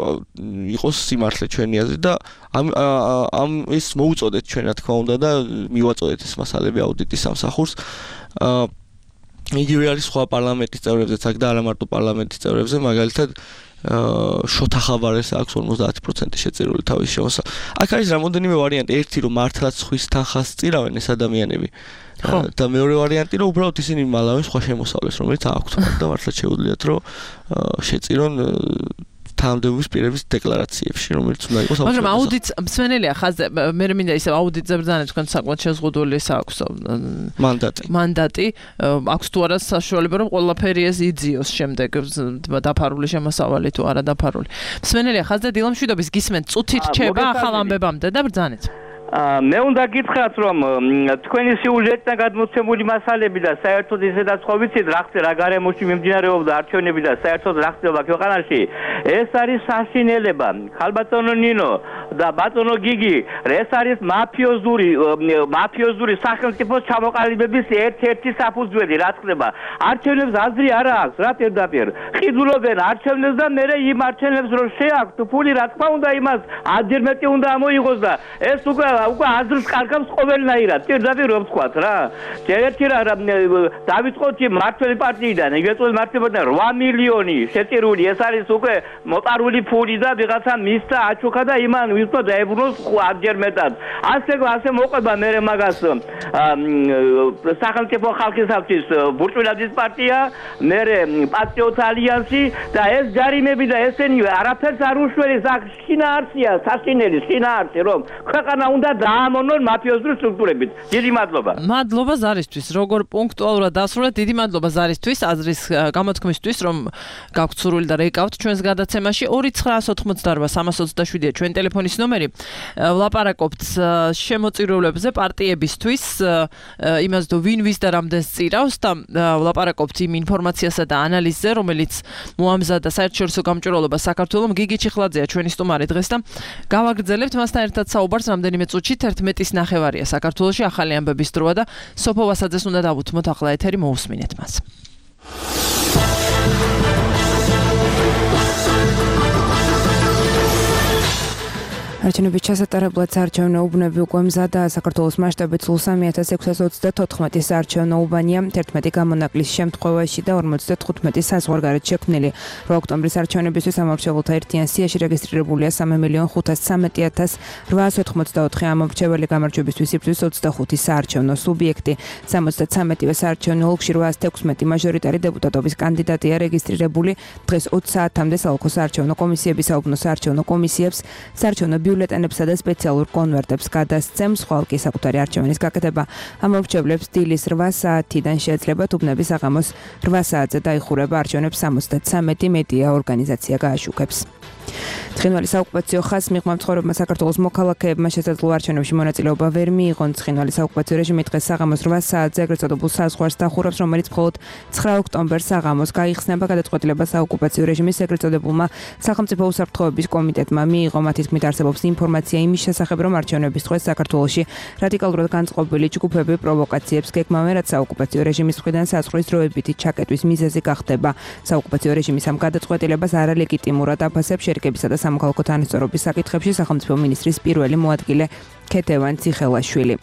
იყოს სიმართლე ჩვენი აზრით და ამ ის მოუწოდეთ ჩვენ რა თქმა უნდა და მივაწოდეთ ეს მასალები აუდიტის სამსახურს. იგივე არის სხვა პარლამენტის წევრებზეც აქ და არა მარტო პარლამენტის წევრებზე, მაგალითად შოთა ხაბარეს აქვს 50% შეწირული თავის შემოსავალი. აქ არის რამოდენიმე ვარიანტი, ერთი რომ მართლაც ხვის თანხას წირავენ ეს ადამიანები. და მეორე ვარიანტი რომ უბრალოდ ისინი მალავენ სხვა შემოსავლეს, რომელიც აქვთ და მართლაც შეუძლიათ რომ შეწირონ თანამდებობის პირების დეკლარაციებში, რომელიც უნდა იყოს აუცილებელი. მაგრამ აუდიტს მსმენელია ხაზზე, მე მინდა ისე აუდიტზე ბრძანეთ, თქვენ საკმაოდ შეზღუდული აქვს მანდატი, აქვს თუ არა საშუალება რომ ყველაფერი ეს იძიოს შემდეგ დაფარული შემოსავალი თუ არა დაფარული. მსმენელია ხაზზე დილამშვიდობის გისმენთ, წუთი რჩება ახალ ამბებამდე და ბრძანეთ. მე უნდა გითხრათ რომ თქვენი სიუჟეტიდან გადმოცემული მასალები და საერთოდ ისედაც ხო ვიცით რა გარემოში მიმდინარეობდა არჩევნები და საერთოდ რა ხდება ქვეყანაში ეს არის საშინელება ხალბატონო ნინო და ბატონო გიგი ეს არის მაფიოზური სახელმწიფოს ჩამოყალიბების ერთ-ერთი საფუძველი რა ხდება არჩევნებს აზრი არ აქვს რა პირდაპირ ხიდულობენ არჩევნებს და მე იმ არჩევნებს რომ შეაქვთ ფული რა თქმა უნდა იმას ადერმეტი უნდა ამოიღოს და ეს უკვე უკვე აზრს კარგავს ყოველნაირად. პირდაპირ რომ ვთქვათ რა. ერთი რა დავიწყოთ მართლმადიდებელი პარტიიდან, ეგრეთვე მართლმადიდებლად 8 მილიონი შეწირული, ეს არის უკვე მოპარული ფული და ვიღაცა მისცა აჩუქა და იმან ვისო დაებრუნოს 8-ჯერ მეტად. ასე მოყვება მე მაგას სახელმწიფო ხალხისათვის ბურჭულაძის პარტია, მე პატრიოტთა ალიანსი და ეს ჯარიმები და ესენი არაფერს არ უშველის აქ შინაარსია, საშინელი შინაარსი რომ ქვეყანა უნდა დაამონონ მაფიოზური სტრუქტურებით. დიდი მადლობა. მადლობა ზარისთვის, როგორ პუნქტუალურად დასრულეთ. დიდი მადლობა ზარისთვის, აზრის გამოთქმისთვის, რომ გაქვთ სურვილი და რეკავთ ჩვენს გადაცემაში. 2988327-ია ჩვენ ტელეფონის ნომერი. ვლაპარაკობთ შემოწირულებზე პარტიებისთვის, იმას თუ ვინ ვის და რამდენს წირავს და ვლაპარაკობთ იმ ინფორმაციასა და ანალიზზე, რომელიც მოამზადა საერთაშორისო გამჭვირვალობა საქართველოს. გიგი ჩიხლაძეა ჩვენი სტუმარი დღეს და გავაგრძელებთ მასთან ერთად საუბარს რამდენიმე წუთში 11:30 საქართველოში ახალი ამბების დროა და სოფო ვასაძეს უნდა დავუთმოთ ახლა ეთერი მოусმინეთ მას. არჩევნების ჩასატარებლად საარჩევნო უბნები უკვე მზადაა. საქართველოს მასშტაბით სულ 3634 საარჩევნო უბანია. 11 გამონაკლის შემთხვევაში და 55 საზღვარგარეთ შექმნილი. 8 ოქტომბრის არჩევნებისთვის ამორჩეულთა ერთიან სიაში რეგისტრირებულია 3,513,884 ამორჩეველი. გამარჯვებისთვის იბრძვის 25 საარჩევნო სუბიექტი. 73-ვე საარჩევნო ოლქში 816 მაჟორიტარი დეპუტატობის კანდიდატია რეგისტრირებული. დღეს 20 საათამდე საოლქო საარჩევნო კომისიები საუბნო საარჩევნო კომისიებს საარჩევნო ბიულეტენებსა და სპეციალურ კონვერტებს გადასცემს. ხვალკი საკუთარი არჩევნის გაკეთება ამორჩევლებს დილის 8 საათიდან შეეძლება. უბნები საღამოს 8 საათზე დაიხურება. არჩევნებს 73 მედია ორგანიზაცია გააშუქებს. ცხინვალის საოკუპაციო ხაზს მიღმა მცხოვრებმა საქართველოს მოქალაქეებმა შესაძლო არჩევნებში მონაწილეობა ვერ მიიღონ. ცხინვალის საოკუპაციო რეჟიმი დღეს საღამოს 8 საათზე ეგრეთ წოდებულ საზღვარს დახურავს, რომელიც მხოლოდ 9 ოქტომბერს საღამოს გაიხსნება. გადაწყვეტილება საოკუპაციო რეჟიმის ეგრეთ წოდებულმა სახელმწიფო უსაფრთხოების კომიტეტმა მიიღო. მათი თქმით არსებობს ინფორმაცია იმის შესახებ, რომ არჩევნების დღეს საქართველოში რადიკალურად განწყობილი ჯგუფები პროვოკაციებს გეგმავენ, რაც საოკუპაციო რეჟიმის მხრიდან საზღვრის დროებითი ჩაკეტვის მიზეზი გახდება. საოკუპაციო რეჟიმის ამ გადაწყვეტილებას არალეგიტიმურად აფასებს შერიკებისა და სამოქალაქო თანასწორობის საკითხებში სახელმწიფო მინისტრის პირველი მოადგილე ქეთევან ციხელაშვილი.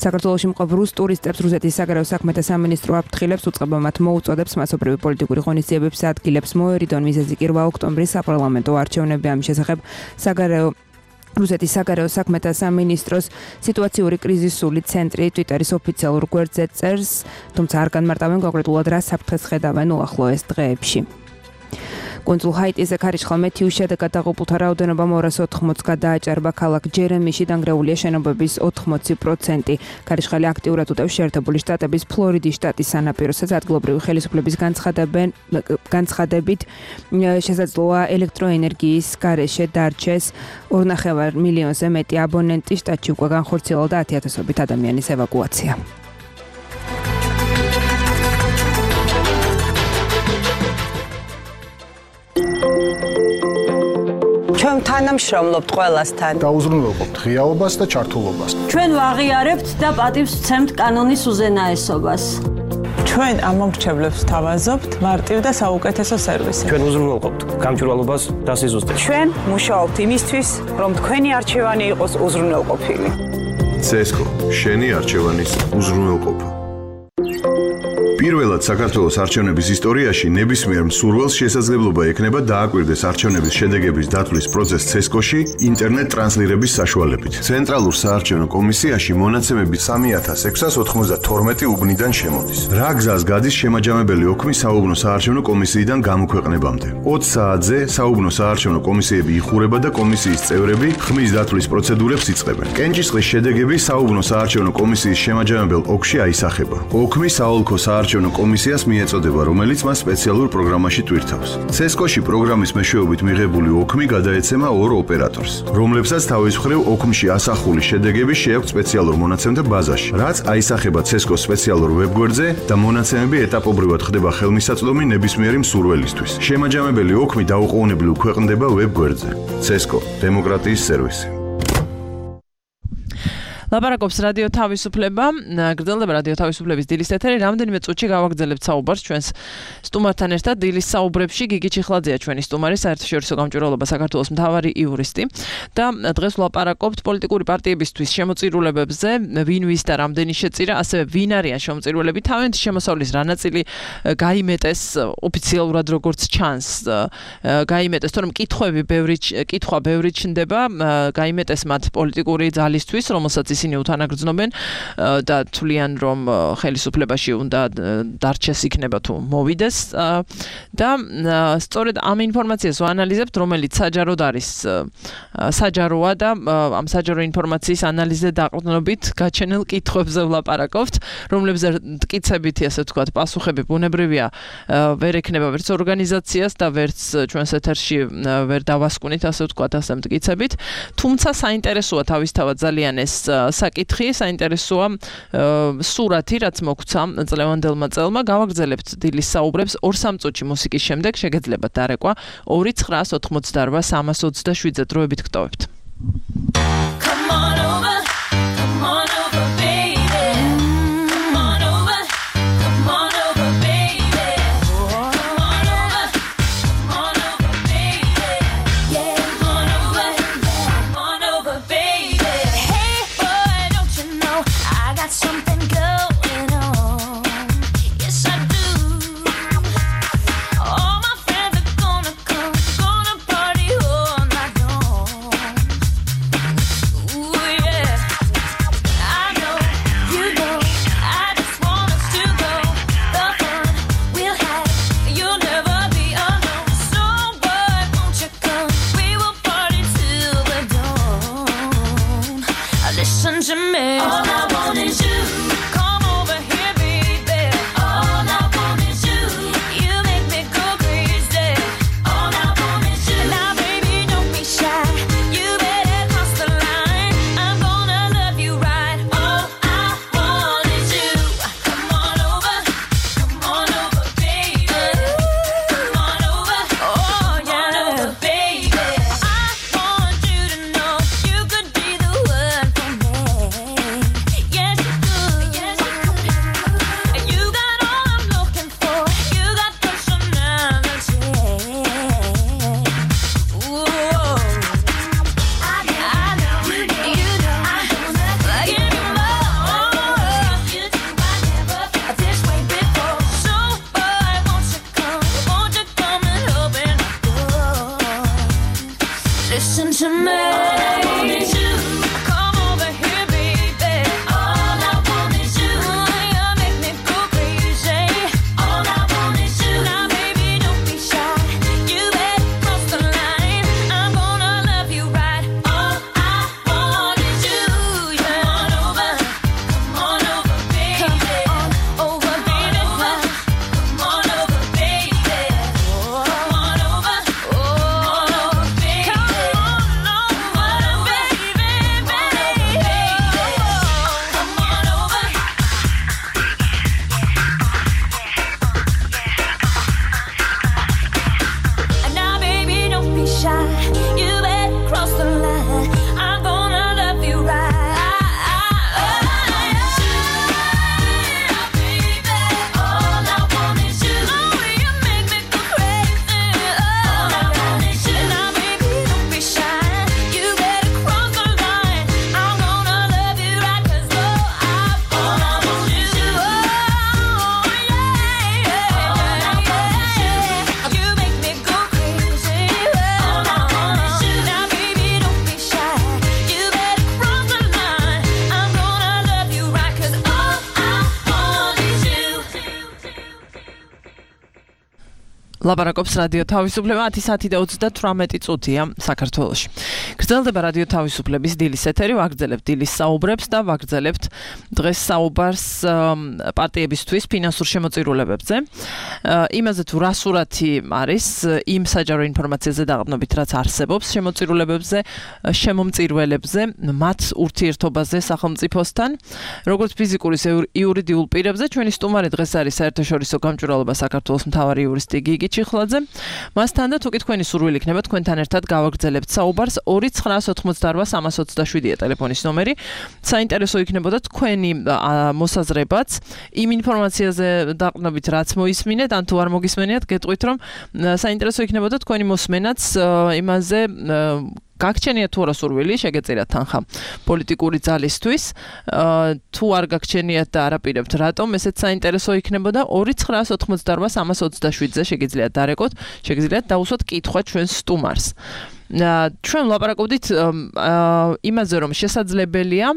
საქართველოში მყოფ რუს ტურისტებს რუსეთის საგარეო საქმეთა სამინისტრო აფრთხილებს, უწყება მათ მოუწოდებს მასობრივი პოლიტიკური ღონისძიებების ადგილებს მოერიდონ. მიზეზი კი 8 ოქტომბრის საპარლამენტო არჩევნები. ამ შესახებ რუსეთის საგარეო საქმეთა სამინისტროს სიტუაციური კრიზისული ცენტრი ტვიტერის ოფიციალურ გვერდზე წერს, თუმცა არ განმარტავენ კონკრეტულად რა საფრთხეს ხედავენ უახლოეს დღეებში. კუნძულ ჰაიტიზე ქარიშხალ მეთიუს შედეგად დაღუპულთა რაოდენობა 280-ს გადააჭარბა. ქალაქ ჯერემიში დანგრეულია შენობების 80%. ქარიშხალი აქტიურად უტევს შეერთებული შტატების ფლორიდის შტატის სანაპიროსაც. ადგილობრივი ხელისუფლების განცხადებით შესაძლოა ელექტროენერგიის გარეშე დარჩეს 2.5 მილიონზე მეტი აბონენტი. შტატში უკვე განხორციელდა 10,000-ობით ადამიანის ევაკუაცია. ჩვენ თანამშრომლობთ ყველასთან. გაუზრუნველყოფთ ღიაობას და ჩართულობას. ჩვენ ვაღიარებთ და პატივს ვცემთ კანონის უზენაესობას. ჩვენ ამომრჩევლებს თავაზობთ მარტივ და საუკეთესო სერვისი. ჩვენ უზრუნველყოფთ გამჭვირვალობას და სიზუსტეს. ჩვენ მუშაობთ იმისთვის, რომ თქვენი არჩევანი იყოს უზრუნველყოფილი. CESCO შენი არჩევანის უზრუნველყოფა. პირველად საქართველოს არჩევნების ისტორიაში ნებისმიერ მსურველს შესაძლებლობა ექნება დააკვირდეს არჩევნების შედეგების დათვლის პროცესს CESCO-ში ინტერნეტ ტრანსლირების საშუალებით. ცენტრალურ საარჩევნო კომისიაში მონაცემები 3692 უბნიდან შემოდის. რა გზას გადის შემაჯამებელი ოქმი საუბნო საარჩევნო კომისიიდან გამოქვეყნებამდე. 20 საათზე საუბნო საარჩევნო კომისიები იხურება და კომისიის წევრები ხმის დათვლის პროცედურებს იწყებენ. კენჭისყრის შედეგები საუბნო საარჩევნო კომისიის შემაჯამებელ ოლქში აისახება. ოქმი საოლქო საარჩევნო კომისიას მიეწოდება, რომელიც მას სპეციალურ პროგრამაში ტვირთავს. CESCO-ში პროგრამის მეშვეობით მიღებული ოქმი გადაეცემა ორ ოპერატორს, რომლებსაც თავის მხრივ ოქმში ასახული შედეგები შეაქვთ სპეციალურ მონაცემთა ბაზაში, რაც აისახება CESCO-s სპეციალურ ვებგვერდზე და მონაცემები ეტაპობრივად ხდება ხელმისაწვდომი ნებისმიერი მსურველისთვის. შემაჯამებელი ოქმი დაუყოვნებლივ ქვეყნდება ვებგვერდზე. CESCO – დემოკრატიის სერვისი. ლაპარაკობს რადიო თავისუფლება, გრძელდება რადიო თავისუფლების დილის ეთერი, რამდენიმე წუთში გავაგრძელებთ საუბარს ჩვენს სტუმართან ერთად. დილის საუბრებში გიგი ჩიხლაძეა ჩვენი სტუმარი, საერთაშორისო გამჭვირვალობა საქართველოს მთავარი იურისტი და დღეს ვლაპარაკობთ პოლიტიკური პარტიებისთვის შემოწირულებებზე, ვინ ვის და რამდენი შეწირა, ასევე ვინ არიან შემოწირულები, თავიანთი შემოსავლის რა ნაწილი გაიმეტეს ოფიციალურად როგორც ჩანს, გაიმეტეს, თორემ კითხვა ბევრი ჩნდება, გაიმეტეს მათ პოლიტიკური ძალისთვის, რომელსაც ისინი უთანაგრძნობენ და თვლიან, რომ ხელისუფლებაში უნდა დარჩეს იქნება თუ მოვიდეს და სწორედ ამ ინფორმაციას ვანალიზებთ, რომელიც საჯაროდ არის საჯაროა და ამ საჯარო ინფორმაციის ანალიზზე დაყრდნობით გაჩენილ კითხვებზე ვლაპარაკობთ, რომლებზეც მტკიცებითი, ასე ვთქვათ, პასუხები ბუნებრივია ვერ ექნება ვერც ორგანიზაციას და ვერც ჩვენს ეთერში ვერ დავასკვნით, ასე ვთქვათ, ასე მტკიცებით. თუმცა საინტერესოა თავისთავად ძალიან ეს საკითხი, საინტერესოა სურათი, რაც მოგვცა წლევანდელმა წელმა. გავაგრძელებთ დილის საუბრებს 2-3 წუთში მუსიკის შემდეგ, შეგეძლებათ დარეკვა 2-988-327-ზე დროებით გტოვებთ. Come on over, baby. Come on over, baby. Come on over, baby. Yeah, come on over, baby. Hey boy, don't you know I got something going on? Yes, I do. All my friends are gonna come, gonna party all night long. Ooh, yeah. I know, you know, I just want us to go. The fun we'll have, you'll never be alone. So boy, won't you come? We will party till the dawn. Listen to me. All I want is you. Come over here, baby. All I want is you. You make me go crazy. All I want is you. Now, baby, don't be shy. You better cross the line. I'm gonna love you right. All I want is you. Come on over, baby. Come on over, oh yeah, over, baby. I want you to know you could be the one for me. Yes, you could. Yes, you could. You got all I'm looking for. You got personality. Ooh. I know, you know, I'm gonna give you more. You do, I never felt this way before. So, boy, won't you come and open my door? Listen to me. All I want is you. Come over here, baby. All I want is you. You make me go crazy. All I want is you. Now, baby, don't be shy. You better cross the line. I'm gonna love you right. All I want is you. Come on over, baby. Come on over, baby. Come on over, baby. Come on over, baby. Come on over, ლაპარაკობს რადიო თავისუფლება 10 საათი და 38 წუთია საქართველოში. გრძელდება რადიო თავისუფლების დილის ეთერი, ვაგრძელებთ დილის საუბრებს და ვაგრძელებთ დღეს საუბარს პარტიებისთვის ფინანსურ შემოწირულებებზე. იმაზე თუ რა სურათი არის იმ საჯარო ინფორმაციაზე დაყრდნობით, რაც არსებობს შემოწირულებებზე, შემომწირველებზე, მათ ურთიერთობაზე სახელმწიფოსთან, როგორც ფიზიკურ ისე იურიდიულ პირებზე. ჩვენი სტუმარი დღეს არის საერთაშორისო გამჭვირვალობა საქართველოს მთავარი იურისტი გიგი ჩიხლაძე. მასთან და თუკი თქვენი სურვილი იქნება თქვენთან ერთად გავაგრძელებთ საუბარს 2988327-327-ია ტელეფონის ნომერი. საინტერესო იქნებოდა თქვენი მოსაზრებაც იმ ინფორმაციაზე დაყრდნობით რაც მოისმინეთ ან თუ არ მოგისმენიათ გეტყვით რომ საინტერესო იქნებოდა თქვენი მოსმენაც იმაზე გაგჩენიათ თუ არა სურვილი შეგეწერათ თანხა პოლიტიკური ძალისთვის თუ არ გაგჩენიათ და არაპირებთ რატომ ესეც საინტერესო იქნებოდა 2988327-ზე შეგიძლიათ დარეკოთ შეგიძლიათ დაუსვათ კითხვა ჩვენს სტუმარს ჩვენ ლაპარაკობდით იმაზე რომ შესაძლებელია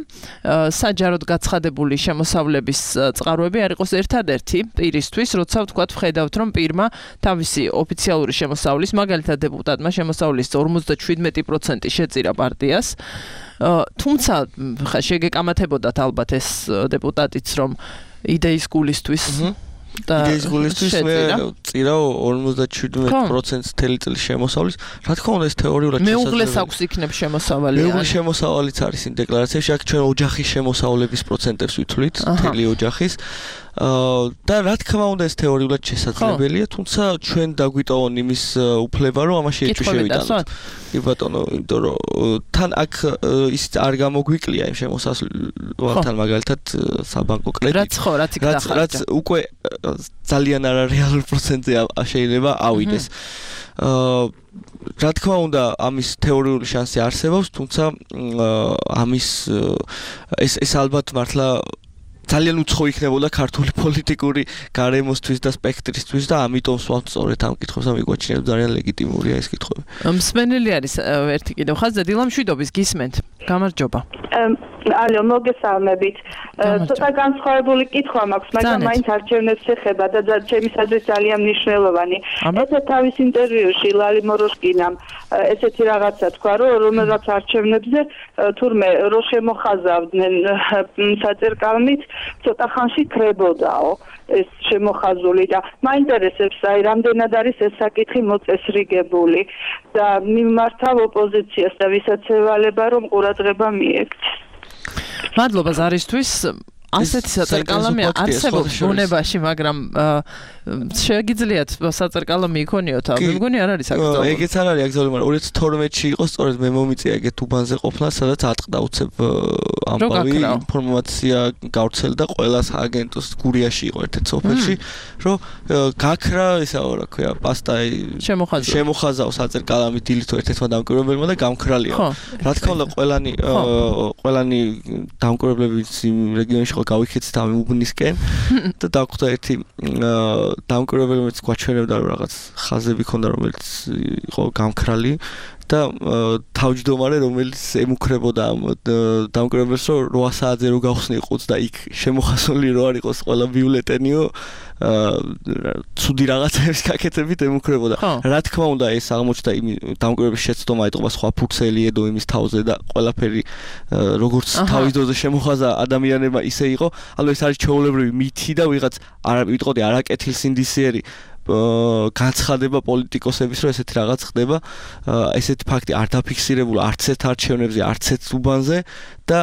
საჯაროდ გაცხადებული შემოსავლების წყაროები არ იყოს ერთადერთი პირისთვის როცა ვთქვათ ვხედავთ რომ პირმა თავისი ოფიციალური შემოსავლის მაგალითად დეპუტატმა შემოსავლის 57% შეწირა პარტიას თუმცა ხა შეგეკამათებოდათ ალბათ ეს დეპუტატიც რომ იდეის გულისთვის იდეის გულისთვის მე წირა 57% თელი წლის შემოსავლის რა თქმა უნდა ეს თეორიულად მეუღლეს აქვს იქნებ შემოსავალი მეუღლის შემოსავალიც არის იმ დეკლარაციაში აქ ჩვენ ოჯახის შემოსავლების პროცენტებს ვითვლით თელი ოჯახის და რა თქმა უნდა ეს თეორიულად შესაძლებელია თუმცა ჩვენ დაგვიტოვონ იმის უფლება რომ ამაში ეჭვი შევიტანოთ კი ბატონო იმიტომ რომ თან აქ ის არ გამოგვიკლია იმ შემოსავალთან მაგალითად საბანკო კრედიტი რაც უკვე ძალიან არარეალურ პროცენტზე შეიძლება ავიდეს რა თქმა უნდა ამის თეორიული შანსი არსებობს თუმცა ამის ეს ალბათ მართლა ძალიან უცხო იქნებოდა ქართული პოლიტიკური გარემოსთვის და სპექტრისთვის და ამიტომ სვავთ სწორედ ამ კითხვებს და მიგვაჩნია ძალიან ლეგიტიმურია ეს კითხვები. მსმენელი არის ერთი კიდევ ხაზზე დილამშვიდობის გისმენთ. გამარჯობა. ალო მოგესალმებით. ცოტა განსხვავებული კითხვა მაქვს, მაგრამ მაინც არჩევნებს ეხება და ჩემისათვის ძალიან მნიშვნელოვანი. ესე თავის ინტერვიუში ლალი მოროშკინამ ესეთი რაღაცა თქვა, რომ რაღაც არჩევნებზე თურმე რო შემოხაზავდნენ საწერკალმით, ცოტა ხანში კრებოდაო ეს შემოხაზული და მაინტერესებს აი რამდენად არის ეს საკითხი მოწესრიგებული და მიმართავ ოპოზიციას და ვისაც ევალება რომ ყურადღება მიექცეს. მადლობა ზარისთვის ასეთი საწერკალამი არსებობს ბუნებაში, მაგრამ შეგიძლიათ საწერკალამი იქონიოთ, მე მგონი არ არის აქტუალური. ეგეც არ არის აქტუალური, მაგრამ 2012-ში იყო სწორედ მე მომიწია ეგეთ უბანზე ყოფნა, სადაც ატყდა უცებ ამბავი ინფორმაცია გავრცელდა ყველა სააგენტოს გურიაში იყო ერთ-ერთ სოფელში, რომ გაქრა ისა რა ქვია, პასტა შემოხაზაო საწერკალამი დილით ერთ-ერთმა დამკვირვებელმა და გამქრალია. რა თქმა უნდა ყველანი დამკვირვებლები იმ რეგიონში გავიქეცით ამ უბნისკენ და დაგვხვდა ერთი დამკვირვებელიც გვაჩვენებდა რომ რაღაც ხაზები ქონდა რომელიც იყო გამქრალი და თავმჯდომარე რომელიც ემუქრებოდა ამ დამკვირვებელს რომ 8 საათზე რო გავხსნი ყუთს და იქ შემოხაზული რო არ იყოს ყველა ბიულეტენიო ცუდი რაღაცების გაკეთებით ემუქრებოდა. რა თქმა უნდა ეს აღმოჩნდა იმ დამკვირვებლის შეცდომა ეტყობა სხვა ფუქსელი ედო იმის თავზე და ყველაფერი როგორც თავის დროზე შემოხაზა ადამიანებმა ისე იყო. ალბათ ეს არის ჩვეულებრივი მითი და ვიღაც არ ვიტყოდი არაკეთილსინდისიერი განცხადება პოლიტიკოსების რომ ესეთი რაღაც ხდება. ესეთი ფაქტი არ დაფიქსირებულა არც ერთ არჩევნებზე, არც ერთ უბანზე და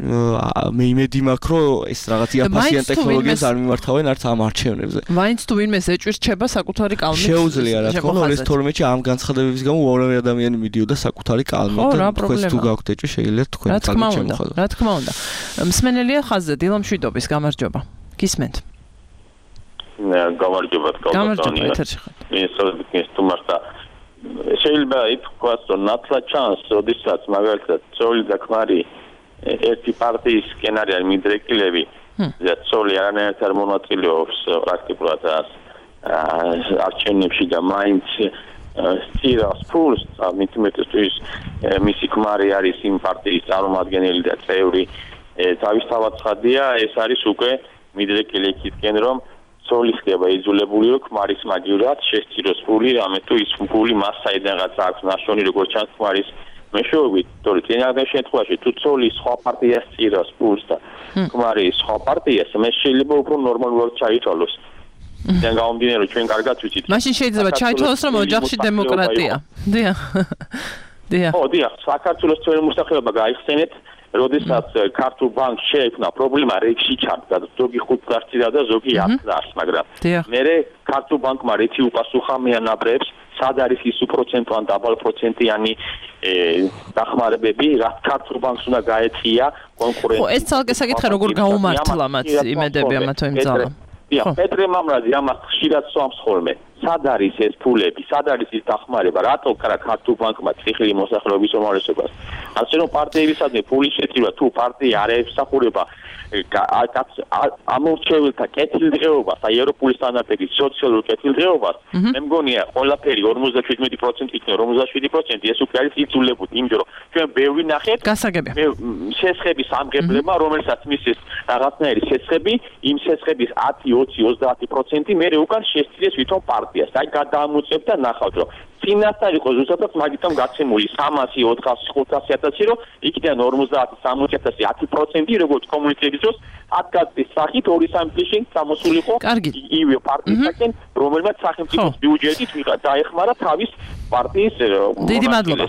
მე იმედი მაქვს რომ ეს რაღაც იაფასიან ტექნოლოგიას არ მიმართავენ არც ამ არჩევნებზე. მაინც თუ ვინმე ეჭვირჩება საკუთარი კალმით. შეუძლია რა თქმა უნდა 2012-ში ამ განცხადებების გამო უამრავი ადამიანი მიდიოდა საკუთარი კალმით და თქვენს თუ გაქვთ ეჭვი შეგიძლიათ თქვენი კალმით შემოხაზოთ. რა თქმა უნდა. მსმენელია ხაზზე დილამშვიდობის გამარჯობა. გისმენთ. გამარჯობა გამარჯობა ეთერში ხარ. ეს თუმცა შეიძლება ითქვას რომ ნათლა ჩანს, როდესაც მაგალითად ცოლი და ქმარი ერთი პარტიის სკენარი მიდრეკილები და ცოლი არანაირად არ მონაწილეობს პრაქტიკულად არჩევნებში და მაინც სტირას ფულს მithumetes მისი ქმარი არის იმ პარტიის წარმომადგენელი და წევრი თავისთავად ცხადია ეს არის უკვე მიდრეკილი იქითკენ რომ ცოლი ხდება იძულებული რომ ქმარის მაგივრად შესწიროს ფული რამე თუ ის ფული მას საიდანღაც აქვს ნაშრომი როგორც ჩანს ქმარის მეშვეობით, თორე წინააღმდეგ შემთხვევაში თუ ცოლი სხვა პარტიას წირავს ფულს და ქმარი სხვა პარტიას, მე შეიძლება უფრო ნორმალურად ჩაითვალოს. ძალიან გამომდინარე რომ ჩვენ კარგად ვიცით. მაშინ შეიძლება ჩაითვალოს რომ ოჯახში დემოკრატია. დიახ. ო, დიახ, საქართველოს ძველი მოსახლეობა გაიხსენეთ როდესაც ქართულ ბანკს შეექმნა პრობლემა რექში ჩადგა ზოგი 5 წარსია და ზოგი 10 წარს მაგრამ მერე ქართულ ბანკმა რექი უპასუხა მეანაბრებს სად არის ის უპროცენტო ან დაბალპროცენტიანი დახმარებები რაც ქართულ ბანკს უნდა გაეწია კონკურენცია ეს ცალკე საკითხი როგორ გაუმართლა მათ იმედები ამა თუ იმ ძალა პეტრე მამრაძე ამას ხშირად სვამს ხოლმე სად არის ეს ფულები სად არის ის დახმარება რატო ქართულ ბანკმა ციხილი მოსახლეობის უმრავლესობას ასე რომ პარტიებისადმი ფულის შეწირვა თუ პარტია არ ემსახურება ამორჩეულთა კეთილდღეობას აი ევროპული სტანდარტების სოციალურ კეთილდღეობას მე მგონია ყველაფერი 57% იქნება 57% ეს უკვე არის იძულებული იმიტომ რომ ჩვენ ბევრი ნახეთ გასაგებია შესხების ამგებლებმა რომელსაც მისცეს რაღაცნაირი შესხები იმ შესხების 10-20-30% მე უკან შესწიეს ვითომ პარტიას აი გადაამოწევთ და ნახავთ რომ წინასწარ იყო ზუსტად მაგიტომ გაცემული 300-400-500-1000 რომ იქიდან 50-60-1000 10% როგორც კომუნიკების დროს 10 კაცის სახით 2-3 წელი გამოსულიყო ივე პარტიისგან რომელმაც სახელმწიფოს ბიუჯეტით დაეხმარა თავის პარტიის დიდი მადლობა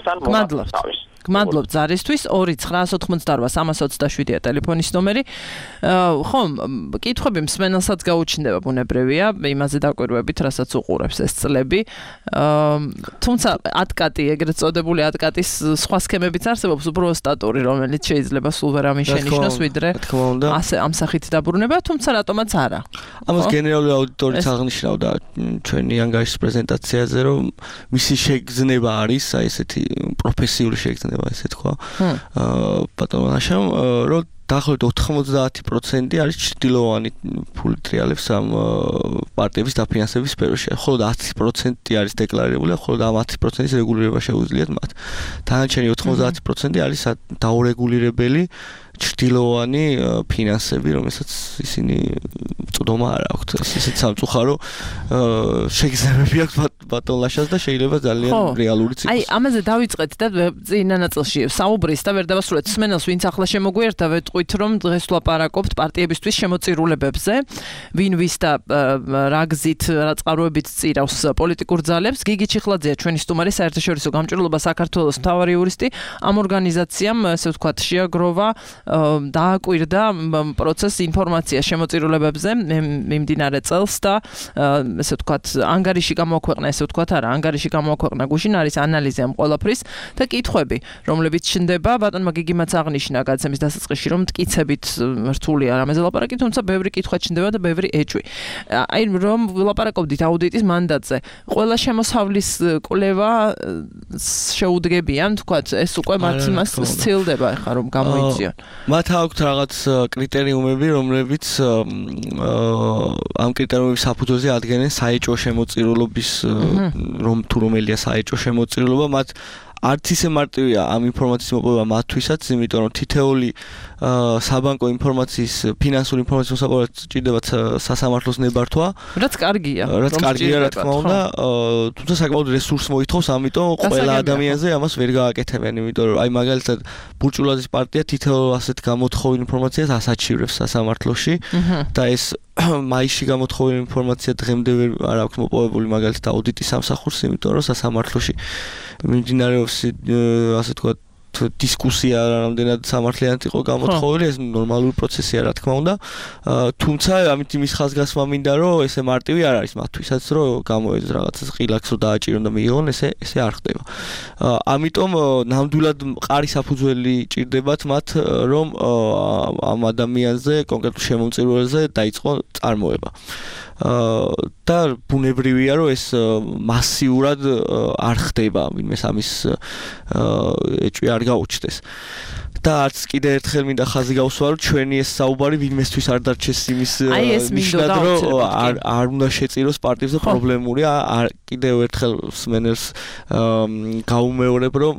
გმადლობ ზარისთვის 2-988-327-ია ტელეფონის ნომერი. ხომ, კითხვები მსმენელსაც გაუჩნდება ბუნებრივია, იმაზე დაკვირვებით, რასაც უყურებს ეს წლები. თუმცა ატკატი, ეგრეთ წოდებული ატკატის სხვა სქემებიც არსებობს, უფრო სტატური, რომელიც შეიძლება სულ ვერ ამიშენიშნოს, ვიდრე ასე ამ სახით დაბრუნება, თუმცა რატომაც არა. ამას გენერალური აუდიტორიც აღნიშნავდა ჩვენი ანგარიშის პრეზენტაციაზე, რომ მისი შეგრძნება არის, აი ესეთი პროფესიული შეგრძნება ესე თქვა. ბატონო ნაშამ, რომ დაახლოებით 90% არის ჭრილოვანი ფული ტრიალებს ამ პარტიების დაფინანსების სფეროში. ხოლო 10% არის დეკლარირებული, ხოლო ამ 10%-ის რეგულირება შეუძლიათ მათ. დანარჩენი 90% არის დაურეგულირებელი ჭრილოვანი ფინანსები, რომელსაც ისინი წვდომა არ აქვთ. ისეთ სამწუხარო შეგრძნებები აქვს ბატონლაშას და შეიძლება ძალიან რეალურიც იყოს. აი, ამაზე დავიწყეთ და წინა ნაწილში საუბრის და ვერ დავასრულეთ. სმენელს ვინც ახლა შემოგვიერთდა, ვეტყვით, რომ დღეს ვლაპარაკობთ პარტიებისთვის შემოწირულებებზე, ვინ ვის და რა გზით, რა წყაროებით წირავს პოლიტიკურ ძალებს. გიგი ჩიხლაძეა ჩვენი სტუმარი, საერთაშორისო გამჭვირვალობა საქართველოს მთავარი იურისტი. ამ ორგანიზაციამ, ესე ვთქვათ, შეაგროვა დააკვირდა პროცესს ინფორმაცია შემოწირულებებზე მიმდინარე წელს და ესე ვთქვათ ანგარიში გამოაქვეყნა ესე ვთქვათ არა ანგარიში გამოაქვეყნა გუშინ არის ანალიზი ამ ყველაფრის და კითხვები რომლებიც ჩნდება ბატონმა გიგიმაც აღნიშნა გადაცემის დასაწყისში რომ მტკიცებით რთულია რამეზე ლაპარაკი თუმცა ბევრი კითხვა ჩნდება და ბევრი ეჭვი აი რომ ვილაპარაკობდით აუდიტის მანდატზე ყველა შემოსავლის კვლევა შეუდგებიან ვთქვათ ეს უკვე მათ იმას სცილდება ახლა რომ გამოიწვიონ მათ აქვთ რაღაც კრიტერიუმები, რომლებიც ამ კრიტერიუმების საფუძველზე ადგენენ საეჭვო შემოწირულობის თუ რომელია საეჭვო შემოწირულობა, მათ არც ისე მარტივია ამ ინფორმაციის მოპოვება მათთვისაც, იმიტომ რომ თითეული საბანკო ინფორმაციის, ფინანსური ინფორმაციის მოსაპოვებლად ჭირდებათ სასამართლოს ნებართვა. რაც კარგია. რაც კარგია, რა თქმა უნდა, თუმცა საკმაოდ რესურს მოითხოვს, ამიტომ ყველა ადამიანზე ამას ვერ გააკეთებენ, იმიტომ რომ აი მაგალითად ბურჭულაძის პარტია თითოეულ ასეთ გამოთხოვილ ინფორმაციას ასაჩივრებს სასამართლოში და ეს მაისში გამოთხოვილი ინფორმაცია დღემდე არ აქვს მოპოვებული მაგალითად აუდიტის სამსახურს, იმიტომ რომ სასამართლოში მიმდინარეობს ასე ვთქვათ დისკუსია რამდენად სამართლიანად იყო გამოთხოვილი, ეს ნორმალური პროცესია რა თქმა უნდა. თუმცა ამით იმის ხაზგასმა მინდა რომ ესე მარტივი არ არის მათთვისაც რომ გამოეძოს რაღაცას ყილაკს რომ დააჭირონ და მიიღონ, ესე არ ხდება. ამიტომ ნამდვილად მყარი საფუძველი ჭირდებათ მათ რომ ამ ადამიანზე კონკრეტულ შემომწირულებზე დაიწყო წარმოება. და ბუნებრივია რომ ეს მასიურად არ ხდება, ვინმე ამის ეჭვი არ გაუჩნდეს. და არც კიდე ერთხელ მინდა ხაზი გავსვა რომ ჩვენი ეს საუბარი ვინმესთვის არ დარჩეს იმის ნიშნად რომ არ უნდა შეწიროს პარტიებზე პრობლემურია კიდევ ერთხელ სმენელს გაუმეორებ რომ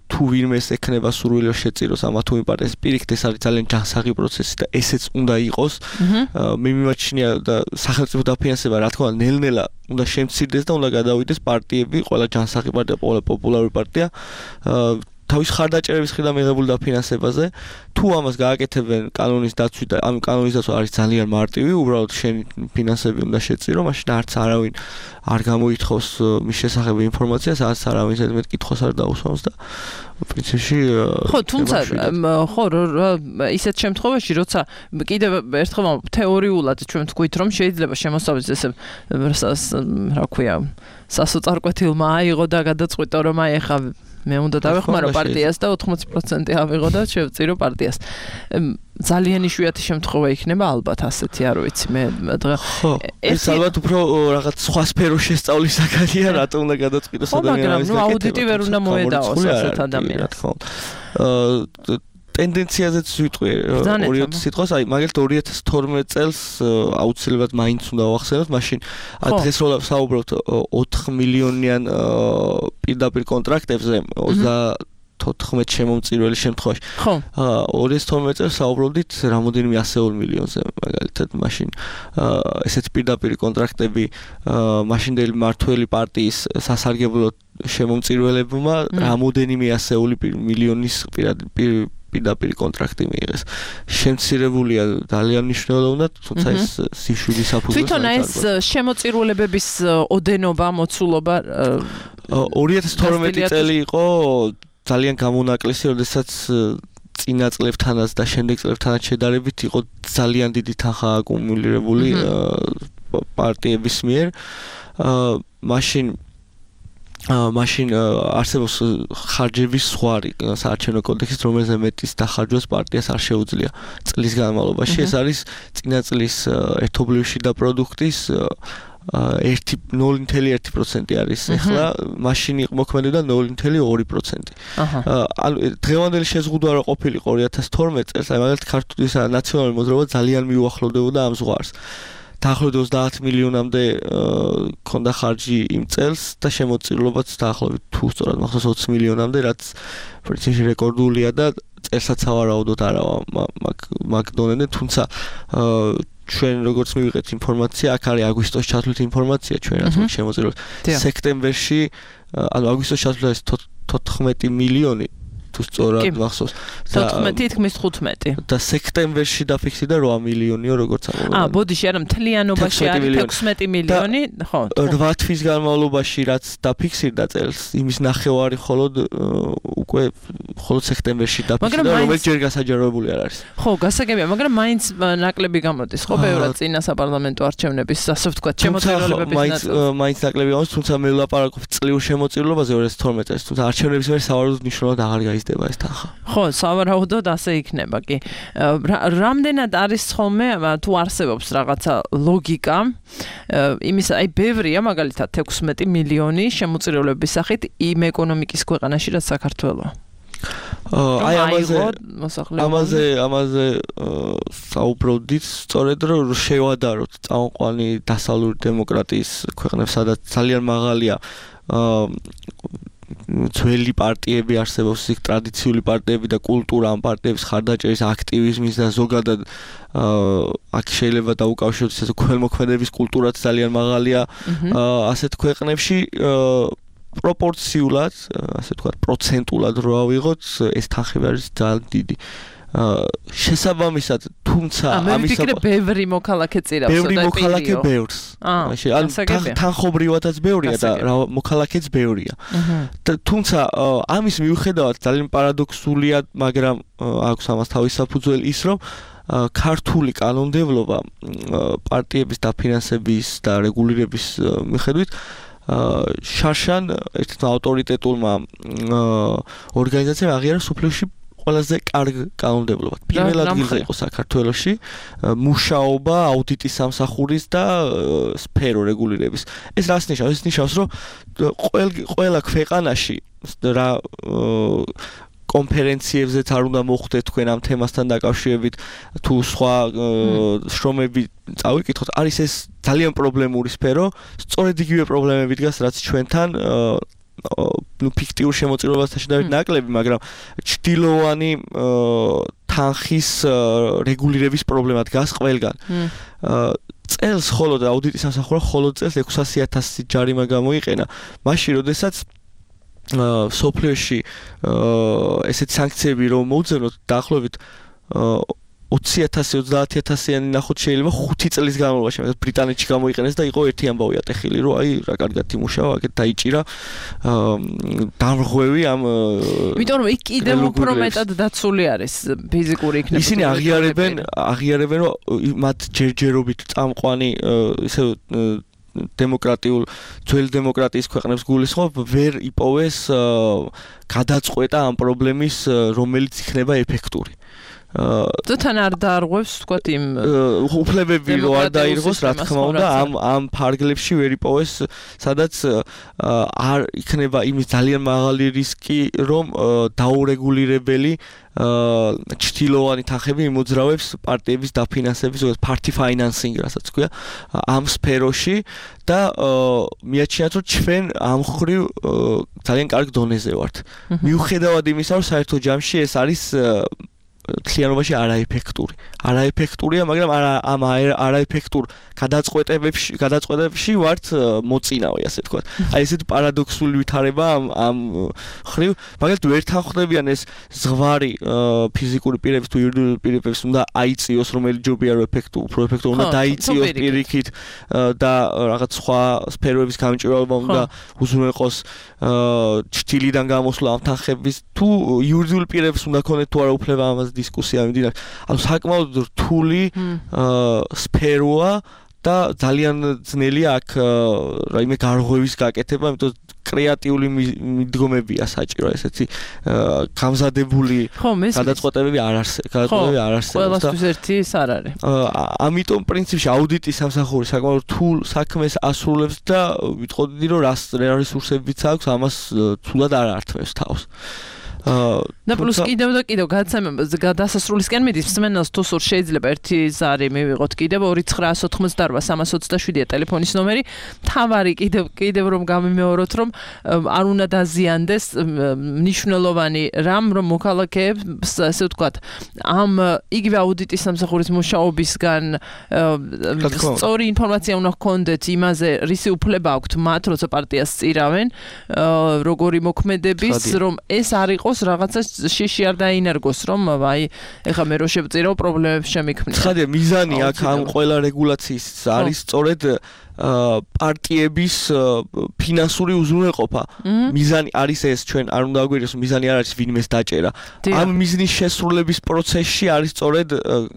თუ ვინმეს ექნება სურვილი რომ შეწიროს ამა თუ იმ პარტიას პირიქით ეს არის ძალიან ჯანსაღი პროცესი და ესეც უნდა იყოს მე მიმაჩნია და სახელმწიფო დაფინანსება რა თქმა უნდა ნელ-ნელა უნდა შემცირდეს და უნდა გადავიდეს პარტიები ყველა ჯანსაღი პარტია ყველა პოპულარული პარტია თავის ხარდაჭერების მხრიდან მიღებული დაფინანსებაზე თუ ამას გააკეთებენ კანონის დაცვით და ამ კანონის დაცვა არის ძალიან მარტივი, უბრალოდ შენი ფინანსები უნდა შეწირო, მაშინ არც არავინ არ გამოითხოვს მის შესახებ ინფორმაციას, არც არავინ ზედმეტ კითხვას არ დაუსვამს და პრინციპში ხო, თუმცა ხო, ისეთ შემთხვევაში, როცა კიდევ ერთხელ თეორიულად ჩვენ ვთქვით, რომ შეიძლება შემოსავლის ესე რა ქვია, სასოწარკვეთილმა აიღო და გადაწყვიტა, რომ აი ახლა მე უნდა დავეხმარო პარტიას და 80% ავიღო და შევწირო პარტიას. ძალიან იშვიათი შემთხვევა იქნება ალბათ ასეთი, არ ვიცი, მე დღე ეს ალბათ უფრო რაღაც სხვა სფეროს შესწავლის საკანია, რატომ უნდა გადაწყვიტოს ადამიანის მაგრამ აუდიტი ვერ უნდა მოედაოს ასეთ ადამიანს. ტენდენციაზეც ვიტყვი ორი სიტყვას, აი მაგალითად 2012 წელს აუცილებლად მაინც უნდა ვახსენოთ, მაშინ დღეს რო საუბრობთ 4 მილიონიან პირდაპირ კონტრაქტებზე 34 შემომწირველი შემთხვევაში. 2012 წელს საუბრობდით რამოდენიმე 100 მილიონზე მაგალითად, მაშინ ესეთი პირდაპირ კონტრაქტები მაშინდელი მმართველი პარტიის სასარგებლო შემომწირველებმა რამოდენიმე 100 მილიონის პირდაპირ კონტრაქტი მიიღეს. შემცირებულია ძალიან მნიშვნელოვნად, თუმცა ეს სიშვიდის საფუძველს თვითონ ეს შემოწირულებების ოდენობა, მოცულობა 2012 წელი იყო ძალიან გამონაკლისი, როდესაც წინა წლებთანაც და შემდეგ წლებთანაც შედარებით იყო ძალიან დიდი თანხა აკუმულირებული პარტიების მიერ. მაშინ არსებობს ხარჯების ზღვარი საარჩევნო კოდექსით, რომელზე მეტის დახარჯვას პარტიას არ შეუძლია წლის განმავლობაში. ეს არის წინა წლის ერთობლივი შიდა პროდუქტის 0.1% არის ახლა, მაშინ მოქმედებდა 0.2%. ანუ დღევანდელი შეზღუდვა რო ყოფილიყო 2012 წელს, აი მაგალითად ქართული ნაციონალური მოძრაობა ძალიან მიუახლოვდებოდა ამ ზღვარს. დაახლოებით 30 მილიონამდე ქონდა ხარჯი იმ წელს და შემოწირულობაც დაახლოებით თუ სწორად მახსოვს 20 მილიონამდე, რაც პრინციპში რეკორდულია და წელსაც ავარაუდოთ არავა მაგ დონემდე, თუმცა ჩვენ როგორც მივიღეთ ინფორმაცია, აქ არის აგვისტოს ჩათვლით ინფორმაცია ჩვენ რაც შემოწირულობთ. სექტემბერში, ანუ აგვისტოს ჩათვლით 14 მილიონი თუ სწორად მახსოვს. 14 თითქმის 15. და სექტემბერში დაფიქსირდა 8 მილიონიო როგორც ამბობენ. ბოდიში არა მთლიანობაში არის 16 მილიონი, ხო. 8 თვის განმავლობაში რაც დაფიქსირდა წელს, იმის ნახევარი მხოლოდ სექტემბერში დაფიქსირდა, რომელიც ჯერ გასაჯაროებული არ არის. ხო, გასაგებია, მაგრამ მაინც ნაკლები გამოდის, ხო, ბევრად წინა საპარლამენტო არჩევნების, ასე ვთქვათ, შემოწირულობების ნაწილი. მაინც ნაკლები გამოდის, თუმცა მე ვლაპარაკობ წლიურ შემოწირულობაზე 2012 წელს, თუმცა არჩევნების მერე სავარაუდოდ მნიშვნელოვნად აღარ გაიზრდება ეს თანხა. ხო, სავარაუდოდ ასე იქნება კი. რამდენად არის ხოლმე თუ არსებობს რაღაცა ლოგიკა იმის, აი ბევრია მაგალითად 16 მილიონი შემოწირულობების სახით იმ ეკონომიკის ქვეყანაში, რაც საქართველოა. აი ამაზე საუბრობდით, სწორედ რომ შევადაროთ წამყვანი დასავლური დემოკრატიის ქვეყნებს, სადაც ძალიან მაღალია ძველი პარტიები არსებობს, იქ ტრადიციული პარტიები და კულტურა ამ პარტიების ხარდაჭერის, აქტივიზმის და ზოგადად აქ შეიძლება დაუკავშიროთ ესე ქველმოქმედების კულტურაც ძალიან მაღალია ასეთ ქვეყნებში. პროპორციულად, ასე ვთქვათ, პროცენტულად რო ავიღოთ, ეს თანხები არის ძალიან დიდი. შესაბამისად, თუმცა ამის ბევრი მოქალაქე წირავს და მოქალაქე ბევრს. ანუ თანხობრივადაც ბევრია და მოქალაქეც ბევრია. თუმცა ამის მიუხედავად ძალიან პარადოქსულია, მაგრამ აქვს ამას თავის საფუძველი ის, რომ ქართული კანონმდებლობა პარტიების დაფინანსების და რეგულირების მიხედვით შარშან ერთ ავტორიტეტულმა ორგანიზაციამ აღიარა სოფლიოში ყველაზე კარგ კანონმდებლობა. პირველ ადგილზე იყო საქართველოში მუშაობა აუდიტის სამსახურის და სფერო რეგულირების. ეს რას ნიშნავს? ეს ნიშნავს, რომ ყველა ქვეყანაში რა კონფერენციებზეც არ უნდა მოხვდეთ თქვენ ამ თემასთან დაკავშირებით, თუ სხვა შრომები წავიკითხოთ, არის ეს ძალიან პრობლემური სფერო, სწორედ იგივე პრობლემები დგას, რაც ჩვენთან ფიქტიურ შემოწირულობასთან შედარებით ნაკლები, მაგრამ ჭდილოვანი თანხის რეგულირების პრობლემა დგას ყველგან. წელს ხოლოდ აუდიტის სამსახურა ხოლოდ წელს 600,000 ჯარიმა გამოიყენა, მაშინ როდესაც სოფლიოში ესეთ სანქციები რომ მოუწევთ დაახლოებით 20,000 30,000-იანი ნახოთ შეიძლება 5 წლის განმავლობაში ბრიტანეთში გამოიყენეს და იყო ერთი ამბავი ატეხილი რომ აი რა კარგად იმუშავა აქეთ დაიჭირა დამრღვევი ამ იმიტომ რომ იქ კიდევ უფრო მეტად დაცული არის ფიზიკური იქნება ისინი აღიარებენ რომ მათ ჯერჯერობით წამყვანი ისე დემოკრატიულ ძველი დემოკრატიის ქვეყნებს გულისხმობ ვერ იპოვეს გადაწყვეტა ამ პრობლემის რომელიც იქნება ეფექტური თან არ დაარღვევს თქვათ იმ უფლებები რო არ დაირღოს რა თქმა უნდა ამ ფარგლებში ვერ იპოვეს სადაც არ იქნება იმის ძალიან მაღალი რისკი რომ დაურეგულირებელი ჩtildeოვანი თანხები იმოძრავებს პარტიების დაფინანსების ზოგადად party financing რასაც ქვია ამ სფეროში და მიაჩნიათ რომ ჩვენ ამ ხრივ ძალიან კარგ დონეზე ვართ მიუხედავად იმისა რომ საერთო ჯამში ეს არის თლიანობაში არაეფექტურია, მაგრამ ამ არაეფექტურ გადაწყვეტებში ვართ მოწინავე, ასე თქვა. აი ესეთი პარადოქსული ვითარება ამ ხრივ, მაგალითად ვერ თანხმდებიან ეს ზღვარი ფიზიკური პირების თუ იურიდიული პირების უნდა აიწიოს, რომელიც ჯობია რომ უფრო ეფექტური უნდა დაიწიოს პირიქით და რაღაც სხვა სფეროების გამჭვირვალობა უნდა უზრუნველყოს ჩtildeიდან გამოსვლა ამ თანხების თუ იურიდიული პირებს უნდა ქონდეთ თუ არა უფლება ამას დისკუსია მიმდინარეობს. ანუ საკმაოდ რთული სფეროა და ძალიან ძნელია აქ რაიმე გარღვევის გაკეთება, იმიტომ კრეატიული მიდგომებია საჭირო, ესეთი გამზადებული გადაწყვეტებები არ არსებობს. ყველასთვის ერთი ის არ არის. ამიტომ პრინციპში აუდიტის სამსახური საკმაოდ რთულ საქმეს ასრულებს და ვიტყოდი რომ რა რესურსებიც აქვს, ამას თულად არ ართმევს თავს. და პლუს კიდევ გადასასრულისკენ მიდის მსმენელს თუ სულ შეიძლება ერთი ზარი მივიღოთ კიდევ 2988-327-ია ტელეფონის ნომერი. თავარი კიდევ რომ გამიმეოროთ რომ არ უნდა დაზიანდეს მნიშვნელოვანი რამ რომ მოქალაქეებს ასე ვთქვათ ამ იგივე აუდიტის სამსახურის მუშაობისგან სწორი ინფორმაცია უნდა ჰქონდეთ იმაზე რისი უფლება აქვთ მათ როცა პარტიას წირავენ როგორი მოქმედების რომ ეს არ იყოს რაღაცა შიში არ დაინერგოს რომ აი ეხლა მე რო შევწირავ პრობლემებს შემიქმნია. ცხადია მიზანი აქ ამ ყველა რეგულაციის არის სწორედ პარტიების ფინანსური უზრუნველყოფა. მიზანი არის ეს ჩვენ არ უნდა აგვიროს მიზანი არ არის ვინმეს დაჭერა. ამ მიზნის შესრულების პროცესში არის სწორედ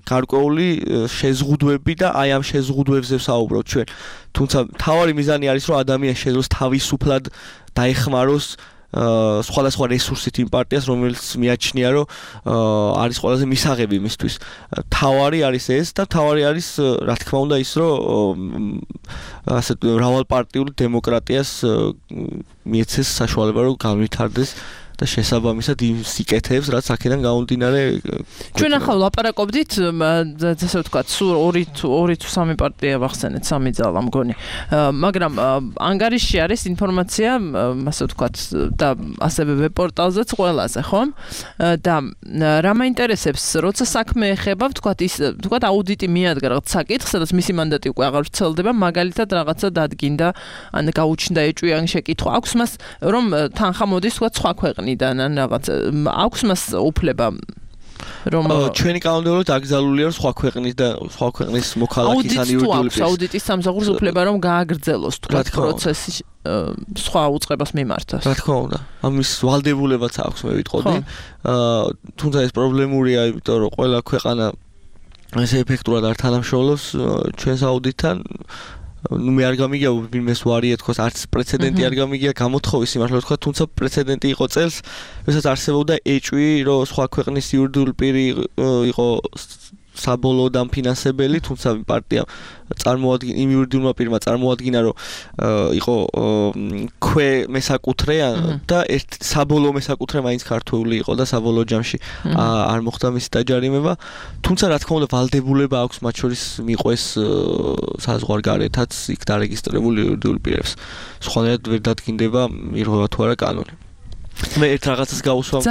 გარკვეული შეზღუდვები და აი ამ შეზღუდვებზე ვსაუბრობთ ჩვენ. თუმცა მთავარი მიზანი არის რომ ადამიანი შეძლოს თავისუფლად დაეხმაროს სხვადასხვა რესურსით იმ პარტიას, რომელიც მიაჩნია, რომ არის ყველაზე მისაღები მისთვის. თავარი არის ეს და თავარი არის, რა თქმა უნდა, ის, რომ ასეთ მრავალპარტიული დემოკრატიას მიეცეს საშუალება, რომ განვითარდეს და შესაბამისად იმ სიკეთეებს, რაც აქედან გამომდინარე. ჩვენ ახლა ვლაპარაკობდით, ასე ვთქვათ, სულ 2 თუ 3 პარტია ვახსენეთ, 3 ძალა მგონი. მაგრამ ანგარიშში არის ინფორმაცია, ასე ვთქვათ, და ასევე ვებ-პორტალზეც ყველაზე, ხო? და რა მაინტერესებს, როცა საქმე ეხება, ვთქვათ, აუდიტი მიადგა რაღაც საკითხს, სადაც მისი მანდატი უკვე აღარ ვრცელდება, მაგალითად რაღაცა დადგინდა, ან გაუჩნდა ეჭვი ან შეკითხვა. აქვს მას რომ თანხა მოდის, ვთქვათ, სხვა ქვეყნიდან ან რაღაც აქვს მას უფლება რომ ჩვენი კანონმდებლობით აკრძალულია რომ სხვა ქვეყნის და სხვა ქვეყნის მოქალაქის ან იურიდიული პირის აუდიტის სამსახურს უფლება რომ გააგრძელოს თქვათ პროცესი სხვა უწყებას მიმართოს. რა თქმა უნდა, ამის ვალდებულებაც აქვს მე ვიტყოდი. თუმცა ეს პრობლემურია, იმიტომ რომ ყველა ქვეყანა ესე ეფექტურად არ თანამშრომლობს ჩვენს აუდიტთან. მე არ გამიგია ვინმეს ვარია თქოს არც პრეცედენტი არ გამიგია გამოთხოვის იმართლა თქვა თუმცა პრეცედენტი იყო წელს როდესაც არსებობდა ეჭვი რომ სხვა ქვეყნის იურიდიული პირი იყო საბოლოო დამფინანსებელი თუმცა პარტია წარმოადგინა იმ იურიდიულმა პირმა წარმოადგინა რომ იყო მესაკუთრე და ერთ საბოლოო მესაკუთრე მაინც ქართული იყო და საბოლოო ჯამში არ მოხდა მისი დაჯარიმება თუმცა რა თქმა უნდა ვალდებულება აქვს მათ შორის მიყვეს საზღვარგარეთაც იქ დარეგისტრირებული იურიდიული პირებს სხვანაირად ვერ დადგინდება ირღვევა თუ არა კანონი მე ერთ რაღაცას გავუსვამ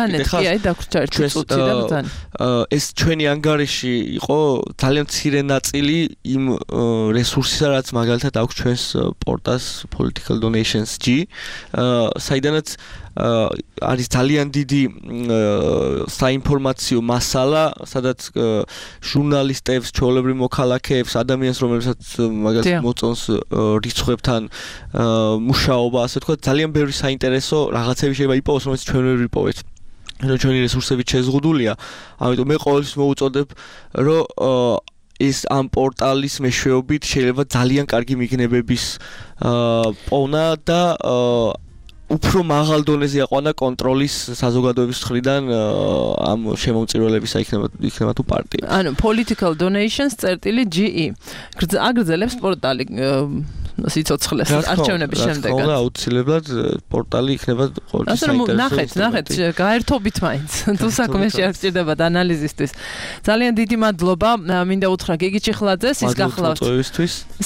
ეს ჩვენი ანგარიში იყო ძალიან მცირე ნაწილი იმ რესურსისა რაც მაგალითად აქვს ჩვენს პორტალს Political Donations G საიდანაც არის ძალიან დიდი საინფორმაციო მასალა, სადაც ჟურნალისტებს, ჩვეულებრივ მოქალაქეებს, ადამიანს, რომელსაც მაგას მოწონს რიცხვებთან მუშაობა, ასე ვთქვათ, ძალიან ბევრი საინტერესო რაღაცები შეიძლება იპოვოს, რომელიც ჩვენ ვერ ვიპოვეთ. ჩვენი რესურსებით შეზღუდულია, ამიტომ მე ყოველთვის მოუწოდებ, რომ ის ამ პორტალის მეშვეობით შეიძლება ძალიან კარგი მიგნებების პოვნა და უფრო მაღალ დონეზე აყვანა კონტროლის საზოგადოების მხრიდან ამ შემომწირველებისა იქნება თუ პარტია. ანუ political donations.ge აგრძელებს პორტალი სიცოცხლეს არჩევნების შემდეგ. რა აუცილებლად პორტალი იქნება ყოველთვის საინტერესო. ნახეთ, გაერთობით მაინც. თუ საქმე შეაგჭირდებათ ანალიზისთვის. ძალიან დიდი მადლობა. მინდა უთხრა გიგი ჭიხლაძეს, ის გახლავთ.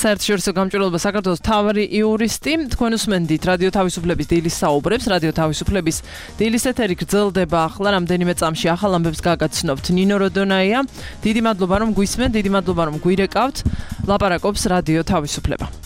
საერთაშორისო გამჭვირვალობა საქართველოს მთავარი იურისტი. თქვენ უსმენდით რადიო თავისუფლების დილის საუბრებს. რადიო თავისუფლების დილის ეთერი გრძელდება ახლა რამდენიმე წამში ახალ ამბებს გაგაცნობთ. ნინო როდონაია. დიდი მადლობა რომ გვისმენთ, დიდი მადლობა რომ გვირეკავთ. ლაპარაკობს რადიო თავისუფლება.